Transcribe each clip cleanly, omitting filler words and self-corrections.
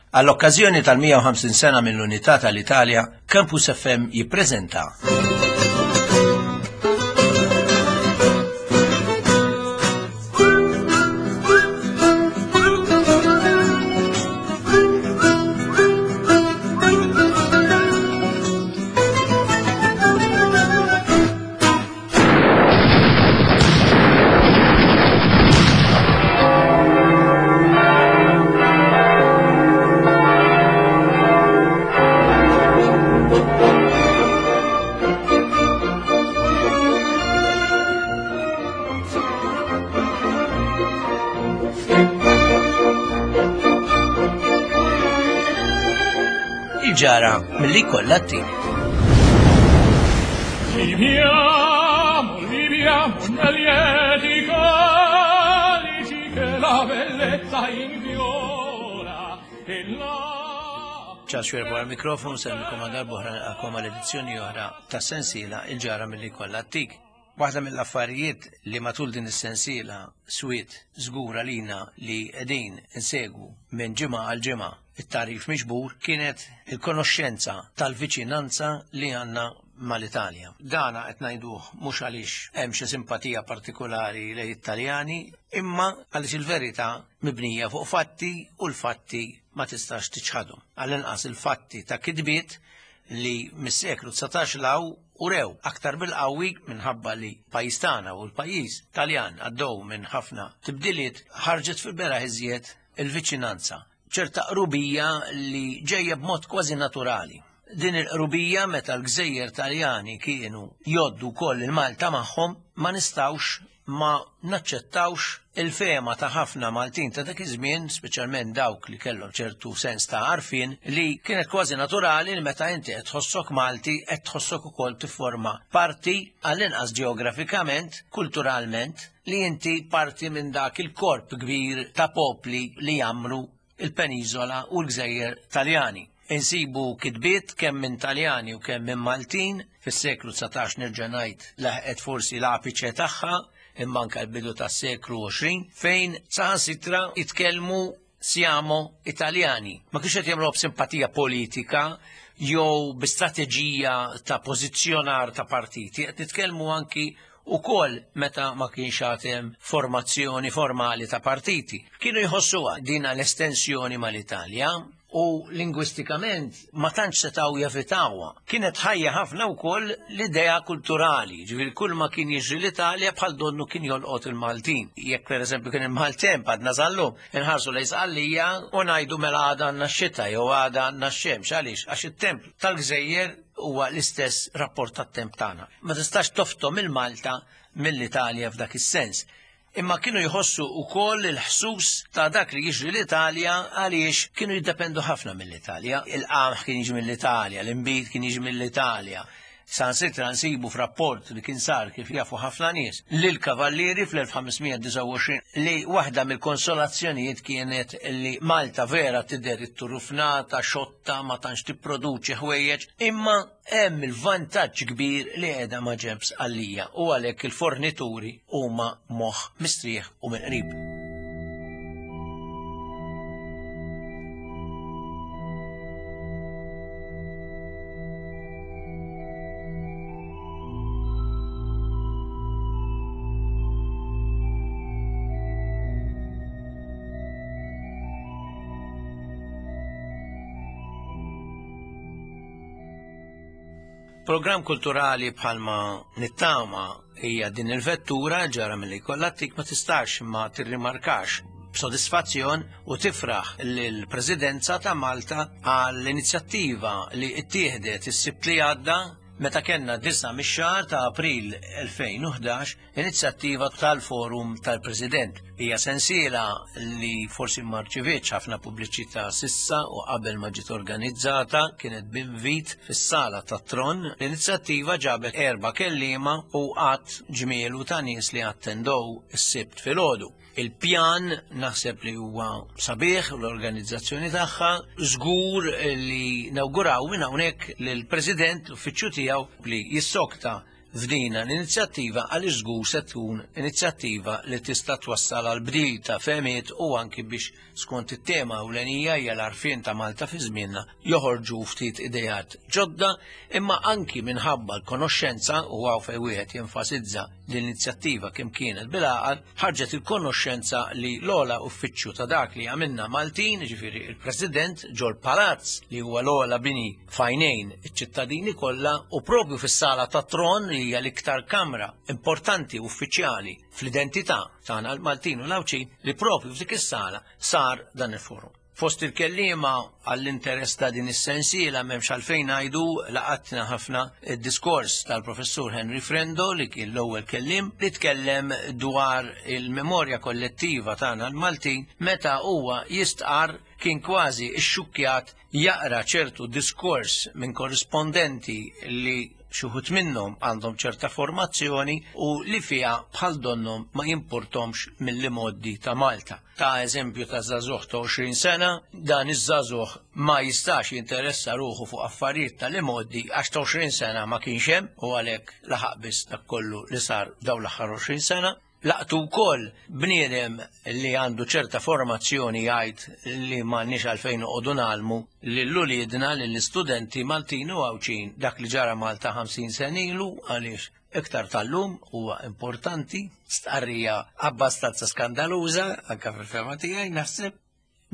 Għall-okkażjoni tal-150 sena mill-Unità tal-Italja, Campus FM jippreżenta Il-ġara mill-li kollha t Viviamo, viviamo nel lieti calici che la bellezza infiora e la Charles Xuereb wara l-mikrofonu nsellmilkom għal darb'oħra nilqakom għal edizzjoni oħra ta' sensiela Il-ġara milli kollha tik. Waħda mill-affarijiet li matul din is-sensiela swiet żgur għalina li qegħdin insegwu minn ġimgħa għal ġimgħa it-tagħrif miġbur kienet il-konoxxenza tal-viċinanza li għandna mal-Italja. Dana qed ngħiduh mhux għaliex hemm xi simpatija partikulari lejn it-Taljani, imma għaliex il-verità mibnija fuq fatti u l-fatti ma tistax tiċħadhom. Għall-inqas il-fatti ta' kitbiet li mis-seklu 19 'l hawn urew aktar bil-qawwi minħabba li pajjiż tagħna u l-pajjiż Taljan għaddew minn ħafna tibdiliet ħarġet fil-beraħ iżjed il-viċinanza, ċerta qrubija li ġejja b'mod kważi naturali. Din il-qrubija meta l-gżejjer Taljani kienu jgħoddu wkoll il-Malta magħhom ma nistgħux ma naċċettawx il-fehma ta' ħafna Maltin ta' dak iż-żmien, speċjalment dawk li kellhom ċertu sens ta' għarfien, li kienet kważi naturali li meta inti qed tħossok Malti qed tħossok ukoll tifforma parti, għall-inqas ġeografikament, kulturalment, li inti parti minn dak il-korp kbir ta' popli li jgħammru il-peniżola u l-gżejjer Taljani. Insibu kitbiet kemm minn Taljani u kemm minn Maltin, fis-seklu 19 nerġa' ngħid laħqet forsi l-apiċe tagħha, imma anke l-bidu tas-seklu 20, fejn saħansitra jitkellmu siamo Italjani. Ma kienx qed jagħmluha b'simpatija politika jew bi strateġija ta' pożizzjonar ta' partiti, qed nitkellmu anki ukoll meta ma kienx għad hemm formazzjoni formali ta' partiti. Kienu jħossuha din l-estensjoni mal-Italja u lingwistikament ma tantx setgħu jevitawha. Kienet ħajja ħafna wkoll l-idea kulturali, ġifieri kull ma kien jiġri l-Italja bħal donnu kien jolqot il-Maltin. Jekk pereżempju kien il-maltemp għadna sal-lum, inħarsu lejn Sqallija u ngħidu mela għada għandna x-xita jew għada għandna x-xemx. Għaliex? Għax it-temp tal-gżejjer huwa l-istess rapport tat-temp tagħna. Ma tistax toftom il-Malta mill-Italja f'dak is-sens. Imma kienu jħossu wkoll il-ħsus ta' dak li jiġri l-Italja għaliex kienu jiddependu ħafna mill-Italja. Il-qamħ kien jiġi mill-Italja, l-inbid kien jiġi mill-Italja. Sansitra nsibu f'rapport li kien sar kif jafu ħafna nies lill-Kavallieri fl-1529 li waħda mill-konsolazzjonijiet kienet li Malta vera tidher itturufnata, xotta, ta' ma tantx tipproduċi ħwejjeġ, imma hemm il-vantaġġ kbir li qiegħda ma' ġenb Sqallija u għalhekk il-fornituri huma moħħ mistrieħ u mill-qrib. Programm kulturali bħalma nittama hija din il-vettura ġara milli jkollha tik ma tistax ma tirrimarkax b'sodisfazzjon u tifraħ lill-Presidenza ta' Malta għall-inizjattiva li ttieħdet is-Sibt li għadda meta kellna disa' mix-xahar ta' April 2011 Inizjattiva tal-Forum tal-President. Hija sensiela li forsi ma rċivietx ħafna pubbliċità sissa u qabel ma ġiet organizzata kienet b'invit fis-sala tat-Tron. L-inizjattiva ġabet erba' kelliema u għadd ġmielu ta' nies li attendow is-Sibt filgħodu. Il-pjan naħseb li huwa sabiħ u l-organizzazzjoni tagħha żgur li nawguraw minn hawnhekk lill-President l-uffiċċju tiegħu li jissokta. f'dina l-inizjattiva għaliex żgur se tkun inizjattiva li tista' twassal għal bdil ta' fehmiet u anki biex skont it-tema ewlenija hija l-għarfien ta' Malta fi żmienna joħorġu ftit ideat ġodda imma anki minħabba l-konoxxenza u hawn fejn wieħed jenfasizza l-inizjattiva kemm kienet bil-għaqal ħarġet il-konoxxenza li l-ogħla uffiċċju ta' dak li għamilna Maltin, ġifieri il-President ġol Palazz li huwa l-ogħla bini f'għajnejn iċ-ċittadini kollha u propju fis-sala tat-tron li hija l-iktar kamra importanti uffiċjali fl-identità tagħna l-Maltin u l-Għawdxin li propju f'dik is-sala sar dan il-forum. Fost il-kelliema għall-interess ta' din is-sensiela m'hemmx għalfejn ngħidu laqatna ħafna id-diskors tal-Professur Henry Frendo li kien l-ewwel kelliem li tkellem dwar il-memorja kollettiva tagħna l-Maltin meta huwa jistqarr kien kważi xxukkjat jaqra ċertu diskors minn korrispondenti li xi wħud minnhom għandhom ċerta formazzjoni u li fiha bħal donnhom ma jimpurtomx mill-imgħoddi ta' Malta. Ta' eżempju ta' żagħżugħ ta' 20 sena, dan iż-żagħżugħ ma jistax jinteressa ruħu fuq affarijiet tal-imgħoddi għax ta' 20 sena ma kienx hemm u għalhekk laħaq biss dak kollu li sar dawn l-aħħar 20 sena. Laqtu wkoll bniedem li għandu ċerta formazzjoni jgħid li m'għandniex għalfejn noqogħdu ngħallmu lil uliedna lill-istudenti Maltin u Għawdxin dak li ġara Malta 50 sena ilu għaliex iktar tal-lum huwa importanti, stqarrija abbastanza skandaluża anke fil-fehma tiegħi naħseb.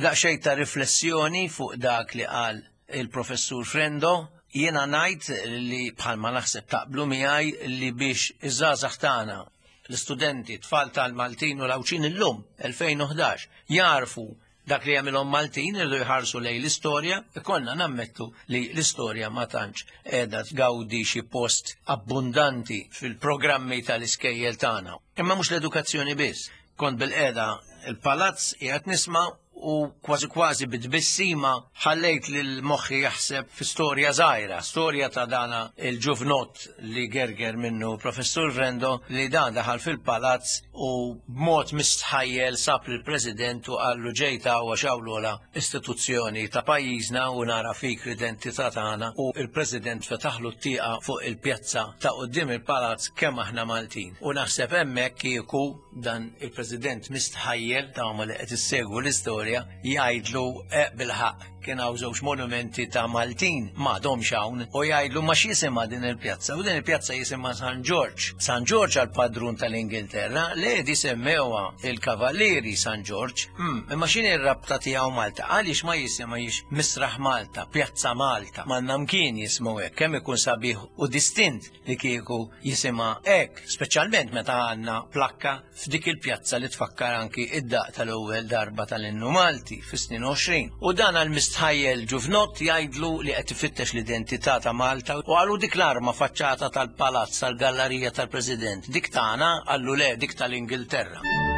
Daqsxejn ta' riflessjoni fuq dak li qal il-Professur Frendo, jiena ngħid li bħalma naħseb taqblu miegħi li biex iż-żgħażagħ tagħna, l-istudenti, tfal tal-Maltin u l-Għawdxin illum, 2011, jarfu dak li jagħmilhom Maltin irridu jħarsu lejn l-istorja, ikollna nammettu li l-istorja ma tantx qiegħda tgawdi xi post abbundanti fil-programmi tal-iskejjel tagħna. Imma mhux l-edukazzjoni biss. Kont bil-qiegħda il-palazz qiegħed nisma' u kważi kważi bit-tbissima ħallejt lil moħħi jaħseb fi storja żgħira, storja ta' dana il-ġuvnott li gerger minnu Professur Frendo li dan daħal fil-palazz u b'mod mistħajjel sab lill-President u qallu ġejt hawn għax hawn l-ogħla istituzzjoni ta' pajjiżna u nara fik l-identità tagħna u l-President fetaħlu t-tieqa fuq il-pjazza ta' quddiem il-palazz kemm aħna Maltin. U naħseb hemmhekk kieku dan il-President mistħajjel ta' huma li qed issegwu l-istorja jgħidlu eh, bil-ħaqq kien hawn żewġ monumenti ta' Maltin m'għadhomx hawn u jgħidlu ma x'jisimha din il-pjazza u din il-pjazza jisimha San Ġorġ. San Ġorġ għal padrun tal-Ingilterra le di semmewha il-Kavallieri San Ġorġ. Hmm, imma x'inhi r-rabta tiegħu Malta? Għaliex ma jisimhiex Misraħ Malta, Pjazza Malta, m'għandna mkien jismu hekk, kemm ikun sabiħ u distint li kieku jisimha hekk, speċjalment meta għandna plakka f'dik il-pjazza li tfakkar anki id-daq tal-ewwel darba tal-innu Malti fis-snin 20. U dan għal mistħajjel ġuvnott jgħidlu li qed ifittex l-identità ta' Malta u qalu dik l-arma faċċata tal-palazz tal-gallarija tal-President, dik tagħna qallu le dik tal-Ingilterra.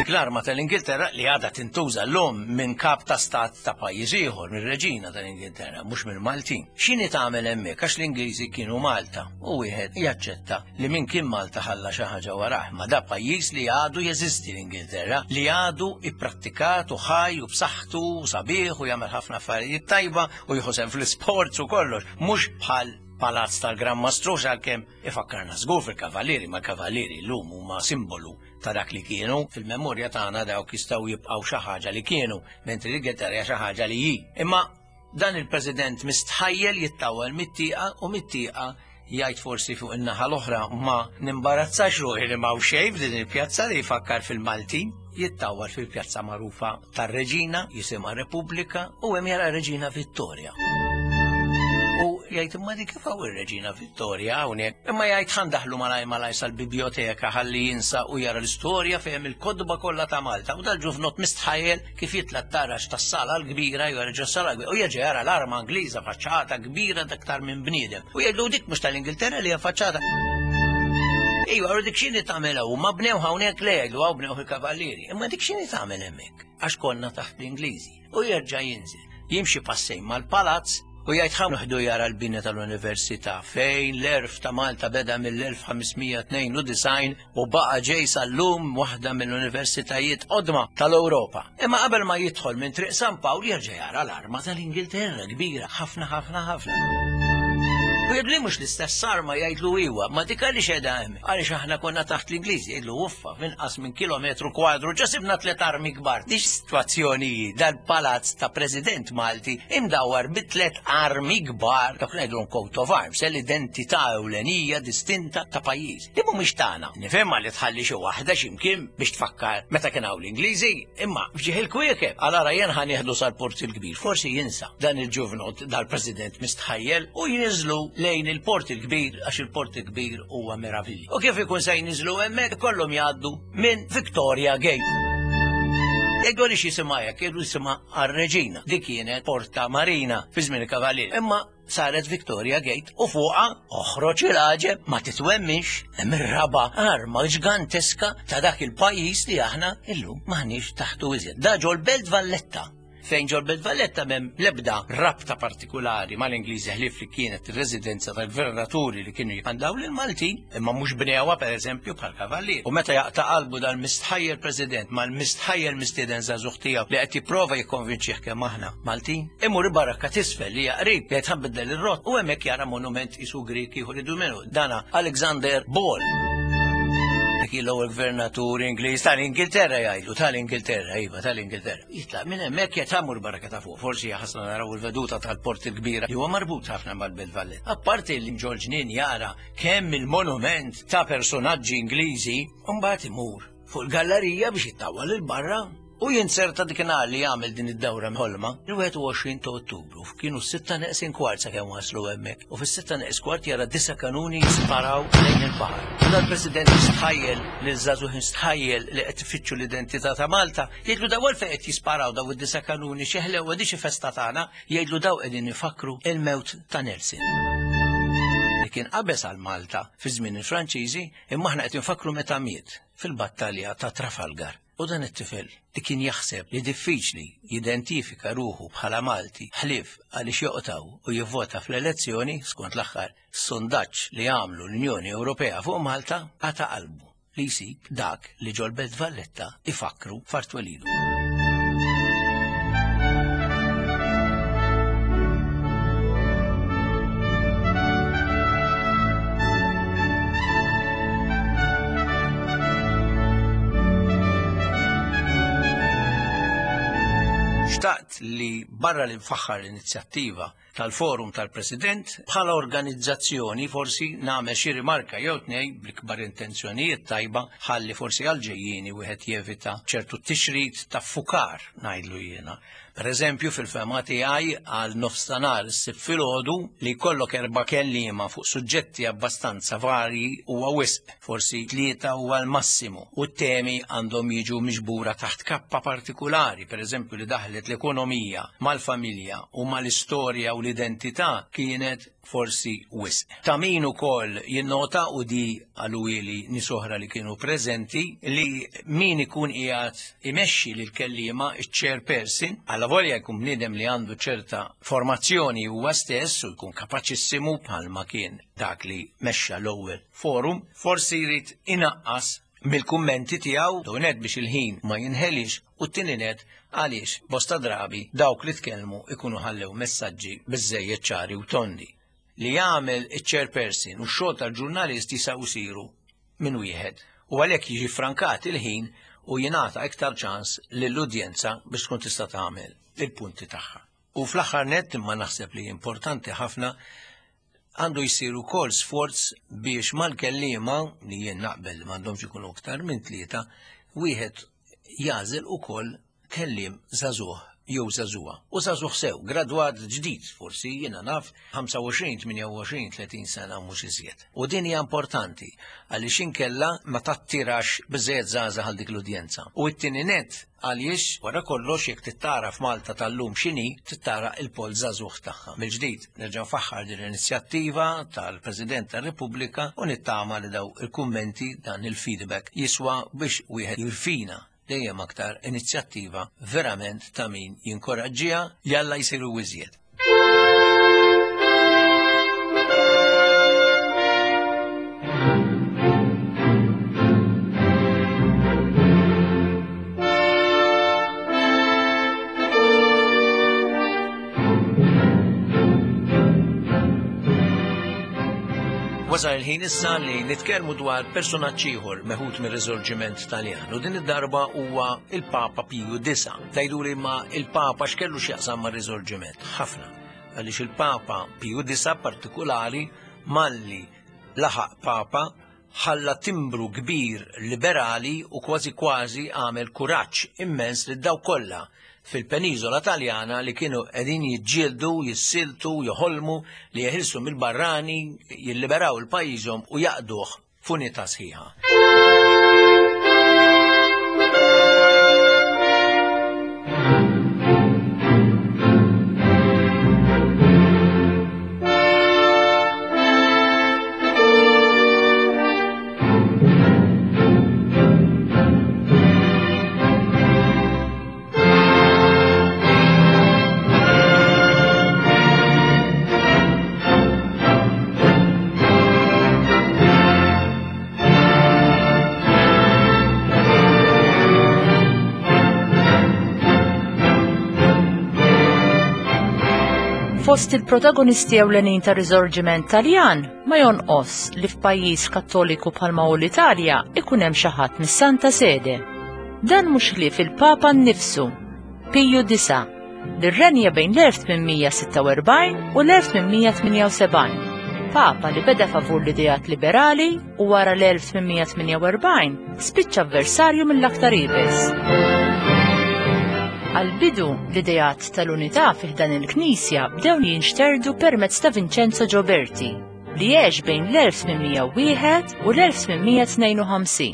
Dik l-arma tal-Ingilterra li għadha tintuża llum minn kap ta' stat ta' pajjiż ieħor, mir-reġina tal-Ingilterra, mhux mill-Maltin. X'inhi tagħmel hemmhekk għax l-Ingliżi kienu Malta u wieħed jaċċetta li min kien Malta ħalla xi ħaġa warah, ma da pajjiż li għadu jeżisti l-Ingilterra, li għadu ipprattikat u ħaj u b'saħħtu u sabiħ u jagħmel ħafna affarijiet tajba u jieħu sehem fl-isports u kollox, mhux bħal palazz tal-Gran Mastru għalkemm ifakkarna żgur fil-Kavallieri, ma l-Kavallieri llum huma simbolu ta' dak li kienu, fil-memorja tagħna dawk jistgħu jibqgħu xi ħaġa li kienu, mentri l-Ingilterra hija xi ħaġa li hi. Imma Dan il-President mistħajjel jittawwal mit-tieqa u mit-tieqa jgħid forsi fuq in-naħa l-oħra ma nimbarazzax ruħi li m'hawn xejn f'din il-pjazza li jfakkar fil-Maltin. Jittawwal fil-pjazza magħrufa tar-Reġina, jisimha Repubblika, u hemm jara Reġina Vittoria. U jgħid imma dik kif hawn ir-Reġina Vittoria hawnhekk. Imma jgħid ħa ndaħlu malaj malaj sal-bibjoteka ħalli jinsa u jara l-istorja fejn il-kotba kollha ta' Malta. U dal-ġuvnott mistħajjel kif jitla' t-taraġ tas-sala l-kbira, jerġa' s-sala l-kbira, u jerġa' jara l-arma Ingliża faċċata kbira aktar minn bniedem. U jgħidlu dik mhux tal-Ingilterra li hija faċċata. Ejwa, u dik x'inhi tagħmel hawn? Ma bnew hawnhekk le jgħidu hawn bnew il-kavallieri. Imma dik x'inhi tagħmel hemmhekk? Għax konna taħt l-Ingliżi. U jerġa' jinżel. Jimxi passejn mal-palazz u jgħid ħa noħdu jara l-bini tal-Università fejn l-erf ta' Malta beda mill-1592 u baqa' ġej sal-lum waħda mill-universitajiet qodma tal-Ewropa. Imma qabel ma jidħol minn Triq San Pawl jerġa' jara l-arma tal-Ingilterra kbira ħafna ħafna ħafna. U jgħidlu mhux l-istess arma jgħidlu iwa, ma dik għaliex qiegħda hemm? Għaliex aħna konna taħt l-Ingliżi, jgħidlu uffa, f'inqas minn kilometru kwadru ġa sibna tliet armi kbar. Dix sitwazzjoni hi dal-palazz ta' President Malti imdawwar bi tliet armi kbar, dak ngħidulhom coat of arms, l-identità ewlenija distinta ta' pajjiż. Li mhumiex tagħna. Nifhimha li tħalli xi waħda x'imkien biex tfakkar meta kien hawn l-Ingliżi, imma f'ġieħ il-kwiekeb. Għal jien ħa nieħdu sal-Port il-Kbir, forsi jinsa dan il-ġuvnot dal-President mistħajjel u jniżlu lejn il-Port il-Kbir għax il-Port il-Kbir huwa meravilja. U kif ikun se jniżlu hemmhekk kollhom jgħaddu minn Victoria Gate. Jgħidu għaliex jisimha hekk, jgħidu jisimha għar-reġina. Dik kienet Porta Marina fi żmien il-Kavalier. Imma saret Victoria Gate u fuqha oħroġ il-għaġeb ma titwemminx hemm ir-raba' arma ġganteska ta' dak il-pajjiż li aħna illum m'aħniex taħtu iżjed. Da ġol-Belt Valletta fejn ġol-Belt Valletta m'hemm l-ebda rabta partikulari mal-Ingliżi ħlief li kienet ir-residenza tal-gvernaturi li kienu jikmandaw lill-Maltin, imma mhux bnewha pereżempju bħal Kavallier. U meta jaqta' qalbu dal-mistħajjel President mal-mistħajjel mistieden żagħżugħ tiegħu li qed jipprova jikkonvinċih kemm aħna Maltin, imur il-barrakka t'isfel li hija qrib jgħid ħa nbiddel ir-rott u hemmhekk jara monument qisu Grieg ieħor idu minnu, dana Alexander Ball. Dik hi l-ewwel gvernatur Ingliż tal-Ingilterra jgħidlu, tal-Ingilterra, iva, tal-Ingilterra. Jitlaq minn hemmhekk jgħid ħa mmur barrakka ta' fuq, forsi ħasna naraw il-veduta tal-Port il-Kbira li huwa marbut ħafna mal-Belt Valletta. Apparti li ġol-ġnien jara kemm il-monument ta' personaġġi Ingliżi, u mbagħad imur fuq il-gallerija biex jittawwal 'il barra u jinzerta dik nhar li jagħmel din id-dawra mħolma, il-21 ta' Ottubru, kienu s-sitta neqsin kwart sakemm waslu hemmhekk, u fis-sitta neqs kwart jara disa' kanuni jisparaw lejn il-baħar. U dal-President jistħajjel lil żagħżugħ jistħajjel li qed ifittxu l-identità ta' Malta, jgħidlu daw għalfejn qed jisparaw daw id-disa' kanuni xi ħlewwa di xi festa tagħna, jgħidlu daw qegħdin ifakkru il-mewt ta' Nelson. Li kien qabeż għal Malta fi żmien il-Franċiżi, imma aħna qed infakkru meta miet fil-battalja ta' Trafalgar. U dan it-tifel li kien jaħseb li diffiċli jidentifika ruħu bħala Malti ħlief għaliex joqtgħu u jivvota fl-elezzjoni skont l-aħħar sondaġġ li għamlu l-Unjoni Ewropea fuq Malta, qata' qalbu li jsib dak li ġol-Belt Valletta ifakkru f'art twelidu. Xtaqt li barra li nfaħħar l-inizjattiva tal-Forum tal-President, bħala organizzazzjoni forsi nagħmel xi rimarka jew tnej bl-ikbar intenzjonijiet tajba ħalli forsi għal-ġejjieni wieħed jevita ċertu tixrid ta' fukar ngħidlu jiena. Per eżempju, fil-fehma tiegħi għal nofstanhar is-Sibt filgħodu li jkollok erba' kelliema fuq suġġetti abbastanza varji huwa wisq, forsi tlieta huwa l-massimu, u t-temi għandhom jiġu miġbura taħt kappa partikulari, per eżempju li daħlet l-ekonomija mal-familja u mal-istorja u l-identità kienet forsi wisq. Ta' min ukoll jinnota u di qaluli nies oħra li kienu preżenti li min ikun qiegħed imexxi lil kelliema iċ-chairperson, allavolja jkun bniedem li għandu ċerta formazzjoni huwa stess u jkun kapaċissimu bħalma kien dak li mexxa l-ewwel forum, forsi jrid inaqqas mill-kummenti tiegħu l nett biex il-ħin ma jinħelix u t-tieni nett għaliex bosta drabi dawk li tkellmu ikunu ħallew messaġġi biżżejjed ċari u tondi. Li jagħmel iċ-chairperson u x-xogħol tal-ġurnalist jistgħu jsiru minn wieħed u għalhekk jiġi ffrankat il-ħin u jingħata iktar ċans lill-udjenza biex tkun tista' tagħmel il-punti tagħha. U fl-aħħar nett imma naħseb li importanti ħafna għandu jsir ukoll sforz biex mal-kelliema li jien naqbel li m'għandhomx ikunu aktar minn tlieta, wieħed jagħżel ukoll kelliem żagħżugħ jew żagħżugħa. U żagħżugħ sew, gradwat ġdid, forsi jiena naf 25, 28, 30 sena mhux iżjed. U din hija importanti għaliex inkella ma tattirax biżejjed żgħażagħ għal dik l-udjenza. U t-tieni nett Għaliex, wara kollox, jekk trid tagħraf Malta tal-lum x'inhi, trid tara l-poll żagħżugħ tagħha. Mill-ġdid, nerġa' nfaħħar din l-inizjattiva tal-President tar-Repubblika u nittama li daw il-kummenti, dan il-feedback jiswa biex wieħed jirfina dejjem aktar inizjattiva verament ta' min jinkoraġġiha, jalla jsiru iżjed. Wasal il-ħin issa li nitkellmu dwar personaġġ ieħor meħud mir-Risorġiment Taljan u din id-darba huwa il-Papa Piju IX. Tgħiduli ma il-Papa x'kellu x'jaqsam mar-Risorġiment? Ħafna. Għaliex il-Papa Piju IX partikulari malli laħaq Papa ħalla timbru kbir liberali u kważi kważi għamel kuraġġ immens lil dawk kollha fil-peniżola Taljana li kienu qegħdin jiġġieldu, jissiltu, joħolmu li jeħilsu mill-barrani, jilliberaw il-pajjiżhom u jaqduh f'unità sħiħa. Fost il-protagonisti ewlenin ta' Risorġiment Taljan ma jonqos li f'pajjiż Kattoliku bħalma hu l-Italja ikun hemm xi ħadd mis-Santa Sede. Dan mhux ħlief il-Papa nnifsu, Piju IX, li rrenja bejn l-1846 u l-1878. Papa li beda favur l-ideat liberali u wara l-1848 spiċċa avversarju mill-aktar iebes. Għal-bidu, l-ideat tal-unità fi ħdan il-Knisja bdew jinxterdu permezz ta' Vincenzo Gioberti, li għex bejn l-1801 u l-1852.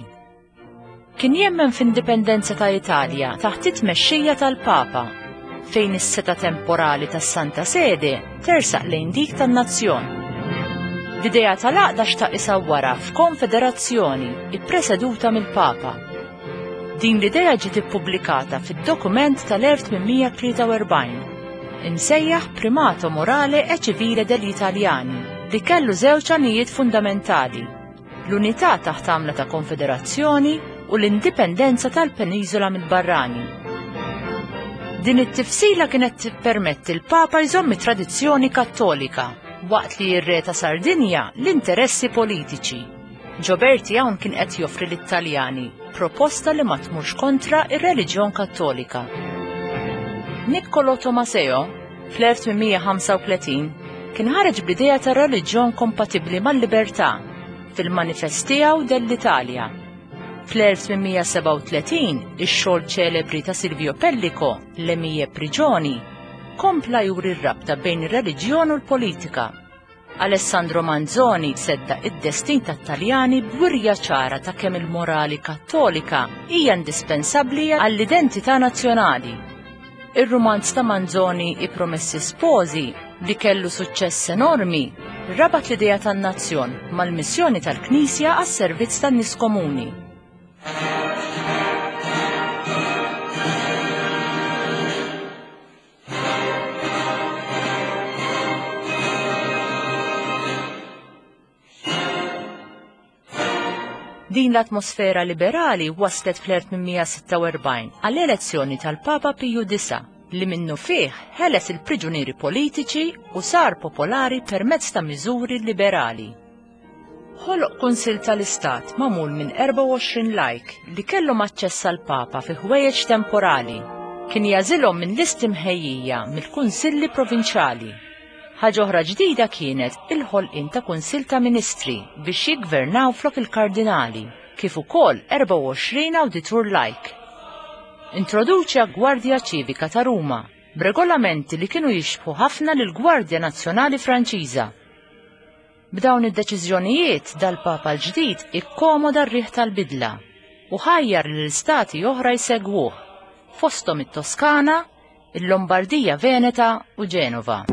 Kien jemmen f'indipendenza ta' Italja taħt it-tmexxija tal-Papa, fejn is-setgħa temporali tas-Santa Sede tersaq lejn dik tan-nazzjon. L-idea tal-għaqda xtaq isawwarha f'konfederazzjoni ippreseduta mill-Papa. Din l-idea ġiet ippubblikata fid-dokument tal-1843, imsejjaħ Primato Morale e Civile degli Italiani, li kellu żewġ għanijiet fundamentali, l-unità taħt għamla ta' konfederazzjoni u l-indipendenza tal-peniżola mill-barrani. Din it-tifsila kienet tippermetti l-Papa jżomm it-tradizzjoni Kattolika waqt li r-Re ta' Sardinja l-interessi politiċi. Gioberti hawn kien qed joffri lit-Taljani proposta li ma tmurx kontra ir-reliġjon Kattolika. Niccolo Tomaseo, Fl-1835 kien ħareġ bl-idea ta' reliġjon kompatibbli mal-libertà fil-manifest tiegħu dell'Italia. Fl-1837 ix-xogħol ċelebri ta' Silvio Pellico, Le mie prigioni, kompla juri r-rabta bejn ir-reliġjon u l-politika. Alessandro Manzoni seddaq id-destin tat-Taljani b'wirja ċara ta' kemm il-morali Kattolika hija indispensabbli għall-identità nazzjonali. Ir-rumanz ta' Manzoni I Promessi Sposi, li kellu suċċess enormi, rabat l-idea tan-nazzjon mal-missjoni tal-Knisja għas-servizz tan-nies komuni. Din l-atmosfera liberali waslet fl-1846 għall-elezzjoni tal-Papa Piju IX li minnu fih ħeles il-priġunieri politiċi u sar popolari permezz ta' miżuri liberali. Ħoloq Kunsill tal-Istat magħmul minn 24 lajk li kellhom aċċess għall-Papa fi ħwejjeġ temporali. Kien jagħżilhom minn listi mħejjija mill-kunsilli provinċjali. Ħaġa oħra ġdida kienet il-ħolqien ta' Kunsill ta' Ministri biex jiggvernaw flok il-kardinali, kif ukoll 24 awditur lajk. Introduċa Gwardja Ċivika ta' Ruma b'regolamenti li kienu jixbħu ħafna lill-Gwardja Nazzjonali Franċiża. B'dawn id-deċiżjonijiet dal-Papa l-ġdid ikkomoda r-riħ tal-bidla u ħajjar lil stati oħra jsegwuh, fosthom it-Toskana, il-Lombardija Veneta u Ġenova.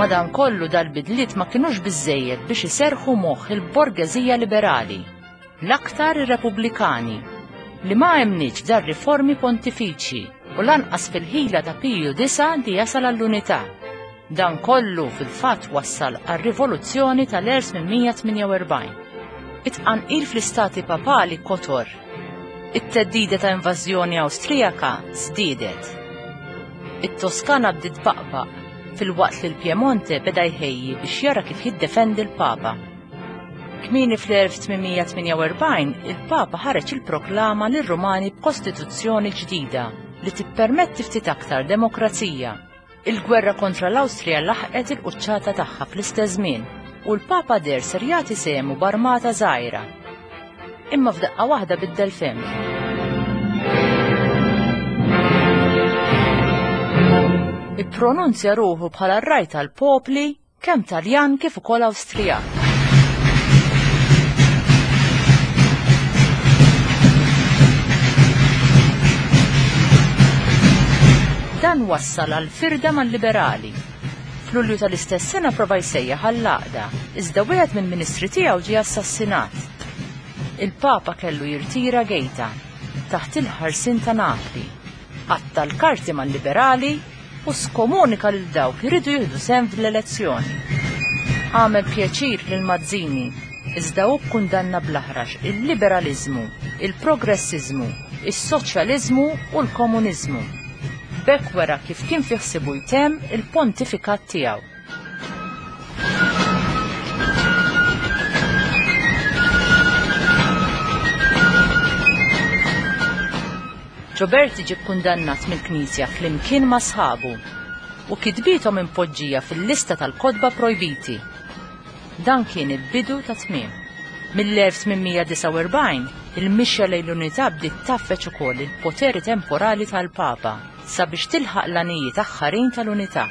Madankollu dal-bidliet ma kinux biżżejjed biex iserrħu moħħ il-borgeżija liberali, l-aktar ir-Repubblikani, li ma emmnitx f'dar-riformi pontifiċji u lanqas fil-ħila ta' Piju IX li jasal għall-unità. Dan kollu fil-fatt wassal għar-rivoluzzjoni tal-1848. It-tqanqil fl-istati papali kotor. It-theddida ta' invażjoni Awstrijaka żdiedet. It-Toskana bdiet tbaqbaq filwaqt li l-Piemonte beda jħejji biex jara kif jiddefendi l-Papa. Kmieni fl-1848 il-Papa ħareġ il-proklama lir-Rumani b'kostituzzjoni ġdida li tippermetti ftit aktar demokrazija. Il-gwerra kontra l-Awstrija laħqet il-quċċata tagħha fl-istess żmien u l-Papa deher ser jagħti sehmu b'armata żgħira. Imma f'daqqa waħda biddel fehmtu. Ippronunzja ruħu bħala r-raj tal-popli kemm Taljan kif ukoll Awstrijak. Dan wassal għal firda mal-liberali. F'Lulju tal-istess sena prova jsejjaħ għall-għaqda, iżda wieħed mill-ministri tiegħu ġie assassinat. Il-Papa kellu jirtira Gaeta, taħt il-ħarsien ta' Napli. Qatta' l-karti mal-liberali u skomunika lil dawk li riedu jieħdu sehem fl-elezzjoni. Għamel pjaċir lil Mazzini, iżda hu kkundanna bl-aħrax il-liberaliżmu, il-progressiżmu, is-soċjaliżmu u l-komuniżmu. B'hekk wera kif kien fi ħsiebu jtemm il-pontifikat tiegħu. Gioberti ġie kkundannat mill-Knisja flimkien ma' sħabu u kitbiethom impoġġija fil-lista tal-kotba projbiti. Dan kien il-bidu tat-tmiem. Mill-1849, il-mixja lejn l-unità bdiet tgħaffeġ ukoll il-poteri temporali tal-Papa sabiex tilħaq l-għanijiet aħħarin tal-unità.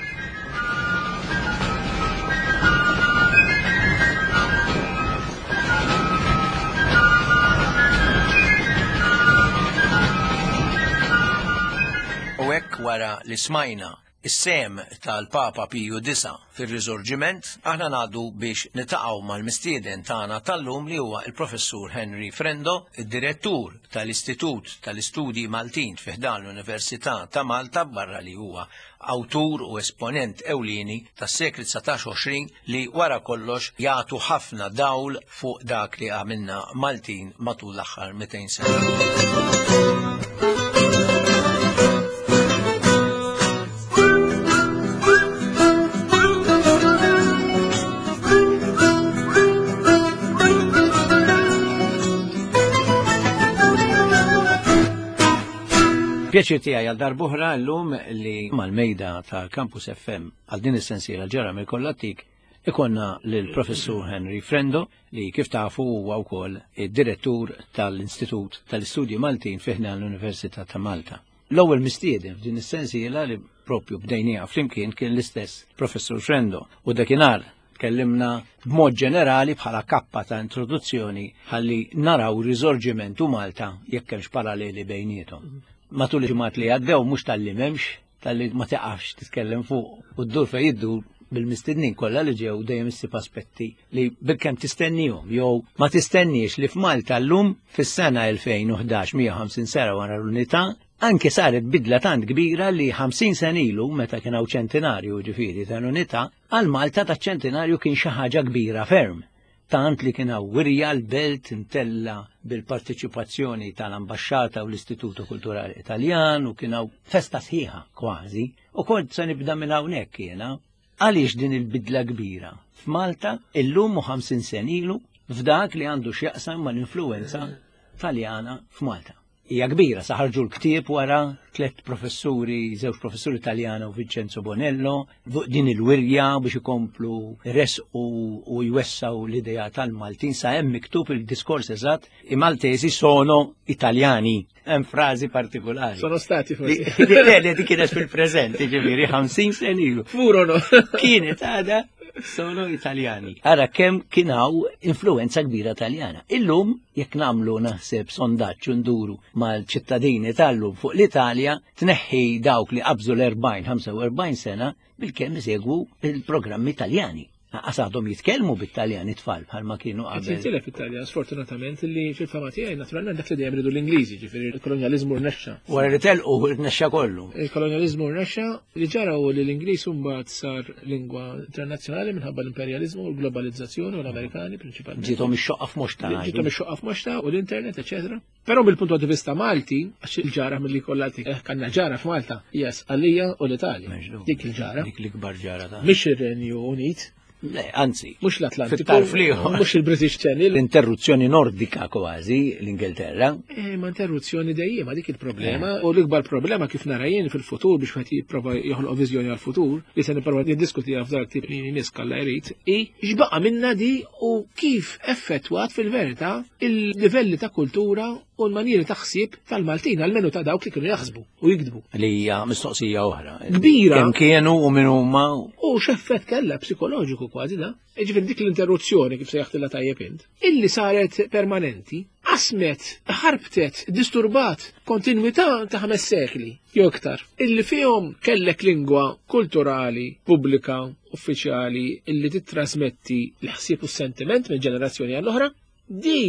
U hekk wara li smajna is-sehem tal-Papa Piju Disa' fir-Riżorġiment, aħna ngħaddu biex nitaqgħu mal-mistieden tagħna tal-lum li huwa l-Professur Henry Frendo, id-Direttur tal-Istitut tal-Istudji Maltin fi ħdan l-Università ta' Malta barra li huwa awtur u esponent ewlieni tas-sekli 19-20 li wara kollox jagħtu ħafna dawl fuq dak li għamilna Maltin matul l-aħħar 200 sena. Pjaċir tiegħi għal darb'oħra llum li mal-mejda ta' Campus FM għal din is-sensiela ġara mill-kollattik ikonna lill-Professur Henry Frendo li kif tafu huwa wkoll id-direttur tal-Istitut tal-Istudji Maltin fi ħdan l-Università ta' Malta. L-ewwel mistieden f'din is-sensiela li propju bdejniha flimkien kien l-istess Professur Frendo u dakinhar Tkellimna b'mod ġenerali bħala kappa ta' introduzzjoni ħalli naraw riżorġiment u Malta jekk hemmx paralleli bejniethom. Matul il-ġimgħat li għaddew mhux talli m'hemmx, talli ma tiqafx titkellem fuq u ddur fejn iddur bil-mistednin kollha li ġew dejjem issib aspetti li bilkemm tistennihom jew ma tistenniex li f'Malta llum fis-sena 2011 150 sena wara l-unità Anke saret bidla tant kbira li 50 sena ilu meta kien hawn ċentinarju ġifieri tal-unità, għal Malta ta' ċentinarju kien xi ħaġa kbira ferm. Tant li kien hawn wirja l-belt imtella bil-parteċipazzjoni tal-Ambaxxata u l-Istituto Kulturali Italjan u kien hawn festa sħiħa kważi. U kont se nibda minn hawnhekk jiena. Għaliex din il-bidla kbira f'Malta illum u 50 sena ilu f'dak li għandu x'jaqsam mal-influwenza Taljana f'Malta? Hija kbira, sa ħarġu l-ktieb wara tlett professuri, żewġ professuri Taljana u Vincenzo Bonello, fuq din il-wirja biex ikomplu resqu u jwessaw l-idea tal-Maltin sa hemm miktub il-diskors eżatt i Maltesi sono Italjani. Hemm frażi partikolari. Sono stati forsi. Le, le, di kienet fil-preżent, ġifieri 50 sen ilu. Furono. Kienet għada sono Italjani. Ara kemm kien hawn influenza kbira Taljana. Illum Jekk nagħmlu naħseb sondaġġ u nduru mal-ċittadini tal-lum fuq l-Italja, tneħħi dawk li qabżu l-40-45 sena bilkemm isegwu il-programmi Taljani. Lanqas għadhom jitkellmu bit-Taljan it-tfal bħalma kienu Qed qabel. jintilef it-Taljan sfortunatament li fil-fama tiegħi naturalment dak li dejjem ridu l-Ingliżi, ġifieri il-kolonjaliżmu rnexxa. Wara li telqu rnexxa kollu. Il-kolonjaliżmu rnexxa li ġara hu li l-Ingliż imbagħad sar lingwa internazzjonali minħabba l-imperjaliżmu u l-globalizzazzjoni u l-Amerikani prinċipalment. Ġiethom ix-xoqqa f'moxta. Ġiethom ix-xoqqa f'moxta u l-internet, eċetera. Però mill-punt di vista Malti, għax il-ġara milli kollha eh, kanna ġara f'Malta, hija Sqallija u l-Italja. Dik il-ġara. Dik l-ikbar ġara ta' Mhix ir-Renju Unit. Le, anzi. Mhux l-Atlantiku. Fit-tarf l-ieħor. Mhux il-British Channel. L-interruzzjoni nordika kważi l-Ingilterra. Eh, ma interruzzjoni dejjem, dik il-problema. U l-ikbar problema kif nara jien fil-futur biex wieħed jipprova joħloq viżjoni għall-futur, li se nipprova niddiskutiha f'dak tip li nies kalla jrid, i x'baqa' minna di u kif effettwat fil-verità il-livelli ta' kultura u l-manieri ta' ħsieb tal-Maltin, almenu ta' dawk li kienu jaħsbu u jiktbu. Li hija mistoqsija oħra. Kbira. Kemm kienu u min huma. U x'effett kellha psikoloġiku kważi da. Ġifieri dik l-interruzzjoni kif sejjaħtilha tajjeb int, illi saret permanenti, qasmet, ħarbtet, disturbat kontinwità ta' ħames sekli jew iktar, illi fihom kellek lingwa kulturali, pubblika, uffiċjali illi tittrasmetti l-ħsieb u s-sentiment minn ġenerazzjoni għall-oħra, di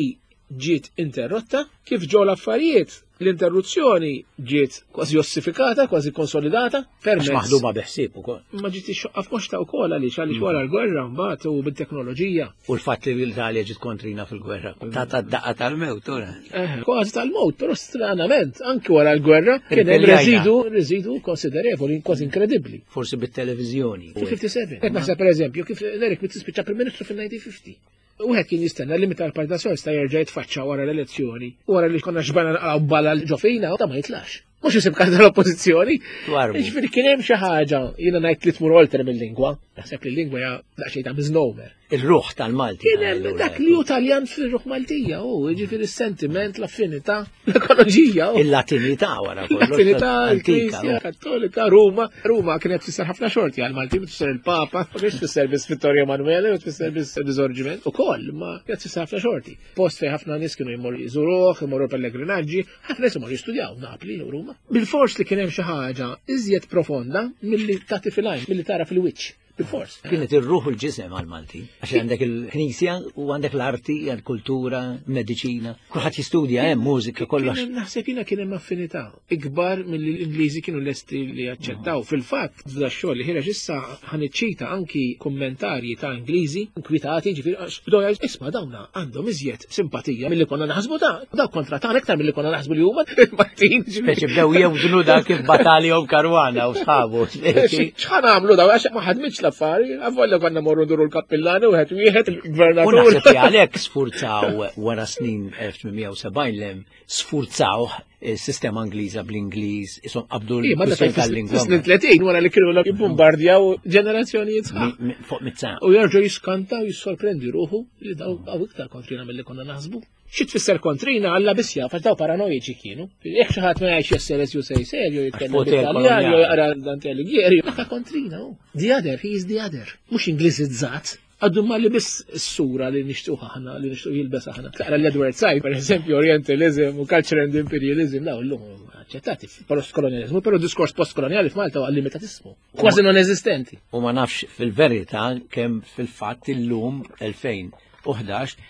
ġiet interrotta, kif ġew l-affarijiet, l-interruzzjoni ġiet kważi ossifikata, kważi konsolidata, permezz. Maħduma biħsieb ukoll. Ma ġiet ixxoqqa f'moxta wkoll għaliex għaliex wara l-gwerra mbagħad u bit-teknoloġija. U l-fatt li l-Italja ġiet kontrina fil-gwerra. Ta' ta' daqqa tal-mewt, ura. Eh, kważi tal-mewt, però stranament, anki wara l-gwerra kien hemm reżidu, reżidu konsiderevoli, kważi inkredibbli. Forsi bit-televiżjoni. Fil-57. Qed naħseb pereżempju kif Eric Mizzi spiċċa Prim Ministru fil-1950. Wieħed kien jistenna li meta l-Partit Nazzjonalista jerġa' jitfaċċa wara l-elezzjoni, wara li konna xbana naqgħu bala ġo fina, ta' ma jitlax. Mhux isib karta l-oppożizzjoni. Ġifieri kien hemm xi ħaġa jiena ngħid li tmur oltre mill-lingwa. Naħseb li l-lingwa hija daqsxejn ta' misnomer. Il-ruħ tal-Malti. Kien hemm dak li hu Taljan fir-ruħ Maltija, u ġifieri s-sentiment, l-affinità, l-ekoloġija. Il-Latinità wara kollox. Il-Latinità, il-Knisja Kattolika, Ruma. Ruma kienet tfisser ħafna xorti għal-Malti, tfisser il-Papa, ma kienx tfisser biss Vittorio Emanuele, u tfisser biss Risorgiment ukoll, ma kienet tfisser ħafna xorti. Post fejn ħafna nies kienu jmorru jżuruh, jmorru pellegrinaġġi, ħafna nies imorru jistudjaw Napli u Ruma. Bil-fors li kien hemm xi ħaġa iżjed profonda milli tagħti fil-għajn, milli tara fil-wiċċ. Bil-fors. Kienet ir-ruħ u l-ġisem għal-Malti. Għax għandek il-knisja u għandek l-arti, l-kultura, mediċina. Kulħadd jistudja hemm mużika kollox. Naħseb jiena kien hemm affinità ikbar milli l-Ingliżi kienu lesti li jaċċettaw. Fil-fatt, f'da xogħol li ħireġ issa ħaniċċita anki kummentarji ta' Ingliżi inkwitati, ġifieri għax bdew jgħidu isma' dawna għandhom iżjed simpatija milli konna naħsbu ta' daw kontra tagħna iktar milli konna naħsbu li huma il-Maltin. Speċi bdew jewżnu dak kif batalihom Karwana u sħabu. X'ħan għamlu daw għax ma ħadmitx l-affari, għavolja konna morru nduru l-kappillani wieħed wieħed il-gvernatur. U naħseb li għalhekk sfurzaw wara snin 1870 lem sfurzaw il-sistema Ingliża bl-Ingliż, isom qabdu l-kwistjoni tal-lingwa. Snin 30 wara li kienu jibbombardjaw ġenerazzjonijiet sħaħ. Fuq mit-sena. U jerġgħu jiskanta u jissorprendi ruħu li daw għaw iktar kontrina milli konna naħsbu. Xi tfisser kontrina Alla biss jaf għax daw paranoiċi kienu. Jekk xi ħadd ma jgħidx jesser as you say serju jitkellem bit-Taljan jew jaqra Dante Alighieri, dak kontrina hu. The other, he is the other. Mhux Ingliżizzat. Għaddu ma li biss s-sura li nixtuq aħna, li nixtuq jilbes aħna. Taqra l-Edward Said, per eżempju, Orientalism u Culture and Imperialism, daw l-lum aċċettati post-kolonializmu, pero diskors post-koloniali f'Malta huwa limitatissmu, kważi non eżistenti. U ma nafx fil-verità kemm fil-fatt illum 2011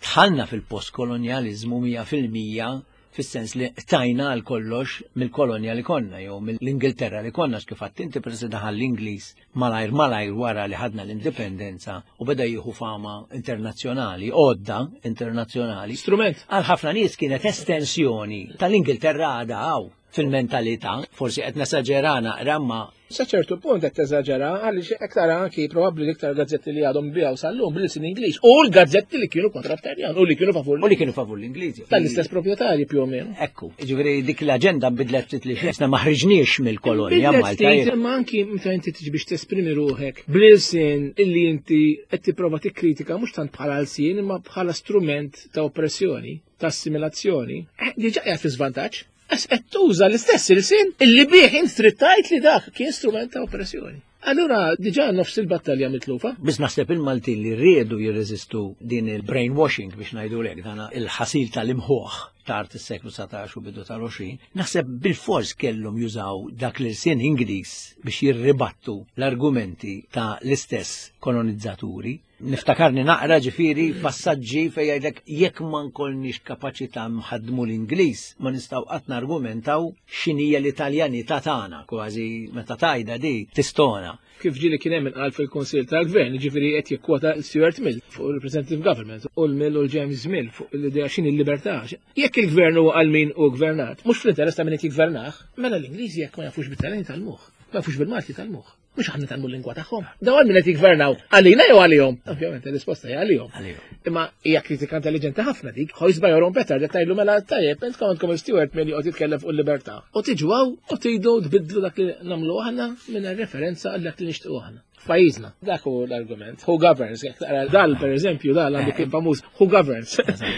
Dħalna fil-postkolonjaliżmu 100% fis-sens li qtajna għal kollox mill-kolonja li konna jew mill-Ingilterra li konna kif għadt inti peress li daħal l-Ingliż malajr malajr wara li ħadna l-indipendenza u beda jieħu fama internazzjonali, għodda internazzjonali. Strument. Għal ħafna nies kienet estensjoni tal-Ingilterra għadha hawn fil-mentalità, forsi qed nesaġera naqra ma Sa ċertu punt qed teżaġera għaliex hekk tara anki probabbli l-iktar gazzetti li għadhom biegħu sal-lum bl-ilsien Ingliż u l-gazzetti li kienu kontra t-Taljan u li kienu favur U li kienu favur l-Ingliżi. Tal-istess proprjetarji più o meno. Ekku, ġifieri dik l-aġenda nbidlet ftit li xesna ma ħriġniex mill-kolonja Malta. Imma anki meta inti tiġi biex tesprimi ruħek bl-ilsien illi inti qed tipprova tikkritika mhux tant bħala lsien imma bħala strument ta' oppressjoni, ta' assimilazzjoni, eh, diġà qiegħed fi żvantaġġ. Għax qed tuża l-istess ilsien illi bih int trid tgħid li dak kien strument ta' oppressjoni. Allura diġà nofs il-battalja mitlufa. Biss naħseb il-Maltin li riedu jirreżistu din il-brainwashing biex ngħidu lek dan il-ħasil tal-imħuħ. tard is-seklu 19 u bidu tal-20, naħseb bilfors kellhom jużaw dak l-ilsien Ingliż biex jirribattu l-argumenti ta' l-istess kolonizzaturi. Niftakarni naqra ġifieri passaġġi fejn jgħidlek jekk ma nkollniex kapaċità nħaddmu l-Ingliż ma nistgħu qatt nargumentaw x'inhija l-Italjanità tagħna, kważi meta tgħidha di tistona. Kif ġieli kien hemm inqal fil-Kunsill tal-Gvern, jiġifieri qed jikkwota Stuart Mill fuq il-Representative Government u l-Mill u l-James Mill fuq l-idea x'inhi l-libertà. Jekk il-gvern huwa għal min hu gvernat, mhux fl-interess ta' min qed jiggvernah, mela l-Ingliżi jekk ma jafux bit-Taljan jitgħallmuh, ma jafux bil-Malti jitgħallmuh. Mhux aħna tagħmlu l-lingwa tagħhom. Dawn għal min qed jiggvernaw għalina jew għalihom? Ovvjament ir-risposta hija għalihom. Imma hija kritika intelligenti ħafna dik. Hoist by your own better li tgħidlu mela tajjeb intkom għandkom il-Stewart milli joqgħod jitkellem fuq il-libertà. U tiġu hawn u tridu tbiddlu dak li nagħmlu aħna minn referenza għal dak li nixtiequ aħna. F'pajjiżna. Dak hu l-argument. Who governs? Jekk taqra dal pereżempju dal għandu kien famuż who governs.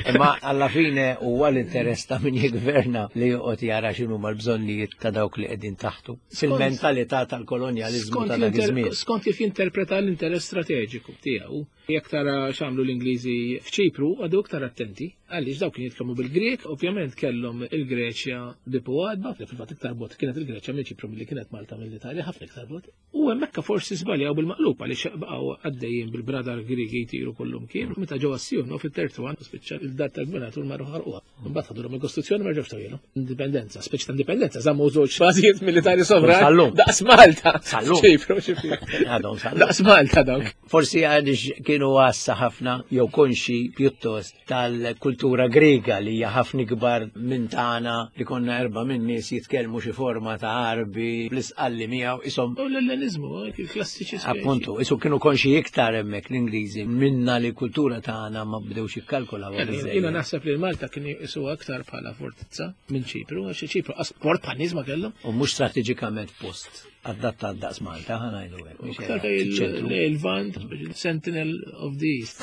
Imma alla fine huwa l-interess ta' min jiggverna li joqgħod jara x'inhuma l-bżonnijiet ta' dawk li qegħdin taħtu. Fil-mentalità tal-kolonjaliżmu ta' dak iż-żmien. Skont kif jinterpreta l-interess strateġiku tiegħu. Jekk tara x'għamlu l-Ingliżi f'Ċipru, għadu iktar attenti. Għaliex dawk kienu jitkellmu bil-Grieg, ovvjament kellhom il-Greċja bipu għadba, fil-fatt iktar bot kienet il-Greċja minn Ċipru milli kienet Malta mill-Italja, ħafna iktar bot. U hemmhekk forsi żbaljaw bil-maqlub għaliex baqgħu għaddejjin bil-bradar Griegi jtiru kullum kien, meta ġew għas-Sijun fit-tertwan spiċċa il-dar tal-gvernatur marru ħarquha. Mbagħad ħadulhom il-Kostituzzjoni ma ġewx tawilhom. Indipendenza, speċi ta' indipendenza, żammu żewġ bażijiet militari sovran. Sallum. Daqs Malta. Sallum. Ċipru, ċipru. Għadhom sallum. Daqs Malta dawk. Forsi għaliex kienu għassa ħafna jew konxi pjuttost tal-kultura Griega li hija ħafna ikbar minn tagħna li konna erba' minn nies jitkellmu xi forma ta' Għarbi bl-isqalli miegħu ishom. U l-Elleniżmu, il-klassiċi. Appuntu, isu kienu konxi iktar hemmhekk l-Ingliżi minna li l-kultura tagħna ma bdewx jikkalkulaw. Jiena naħseb li Malta kien jisuha aktar bħala fortizza minn Ċipru, għax Ċipru qas port bħal nies ma kellhom. U mhux strateġikament post adattat daqs Malta, ħa ngħidu hekk. Iktar il-Lvant, Sentinel of the East.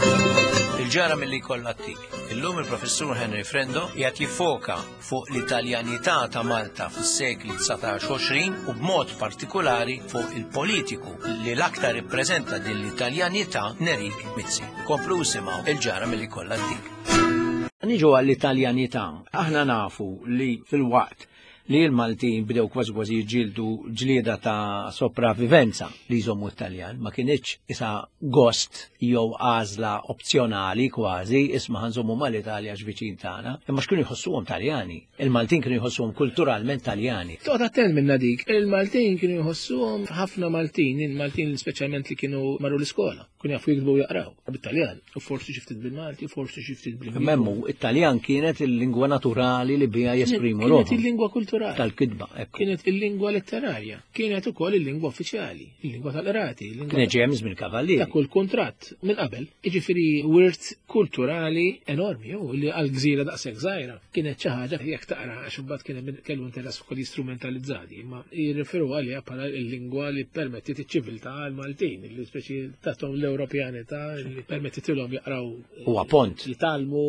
Il-ġara milli jkollha ttik. Illum il-Professur Henry Frendo qiegħed jiffoka fuq l-Italjanità ta' Malta fis-sekli 19-20 u b'mod partikulari fuq il-politiku li l-aktar ippreżenta din l-Italjanità Nerik Mizzi. Komplu isimgħu il-ġara milli jkollha ttik. Niġu għall-Italjanità. Aħna nafu li fil-waqt li l-Maltin bdew kważi kważi jiġġieldu ġlieda ta' sopravivenza li jżommu t-Taljan, ma kinitx isa gost jew għażla opzjonali kważi, isma' ħa nżommu mal-Italja għax viċin tagħna, imma x'kienu jħossuhom Taljani. Il-Maltin kienu jħossuhom kulturalment Taljani. Toqgħod attent minna dik. Il-Maltin kienu jħossuhom ħafna Maltin, il-Maltin speċjalment li kienu marru l-iskola. Kienu jafu jiktbu u jaqraw bit-Taljan, u forsi xi ftit bil-Malti, forsi xi ftit bil-Ingliż. Memmu, it-Taljan kienet il-lingwa naturali li biha jesprimu ruħhom. Kienet il-lingwa kulturali. Tal-kitba, ekku. Kienet il-lingwa letterarja. Kienet ukoll il-lingwa uffiċjali, il-lingwa tal-qrati. Kienet ġejja minn kavallieri. Ta' kull kuntratt minn qabel. Jiġifieri wirt kulturali enormi, u li għal gżira daqshekk żgħira. Kienet xi ħaġa jekk taqra għax imbagħad kien hemm kellu interess ukoll jistrumentalizzati, imma jirreferu għaliha bħala l-lingwa li permettiet iċ-ċiviltà għall-Maltin, li speċi tathom l-Ewropjanità li permettitilhom jaqraw. Huwa pont. Jitgħallmu.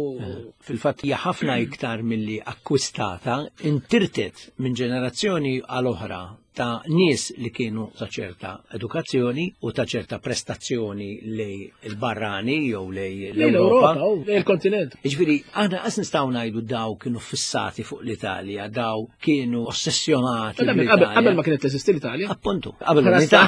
Fil-fatt hija ħafna iktar milli akkwistata, intirtet minn ġenerazzjoni għal oħra ta' nies li kienu ta' ċerta edukazzjoni u ta' ċerta prestazzjoni lej il-barrani jew lej l-Ewropa. Lej il-kontinent. Jiġifieri, aħna qas nistgħu ngħidu daw kienu fissati fuq l-Italja, daw kienu ossessjonati. Qabel ma kienet teżisti l-Italja. Appuntu, qabel l-unità.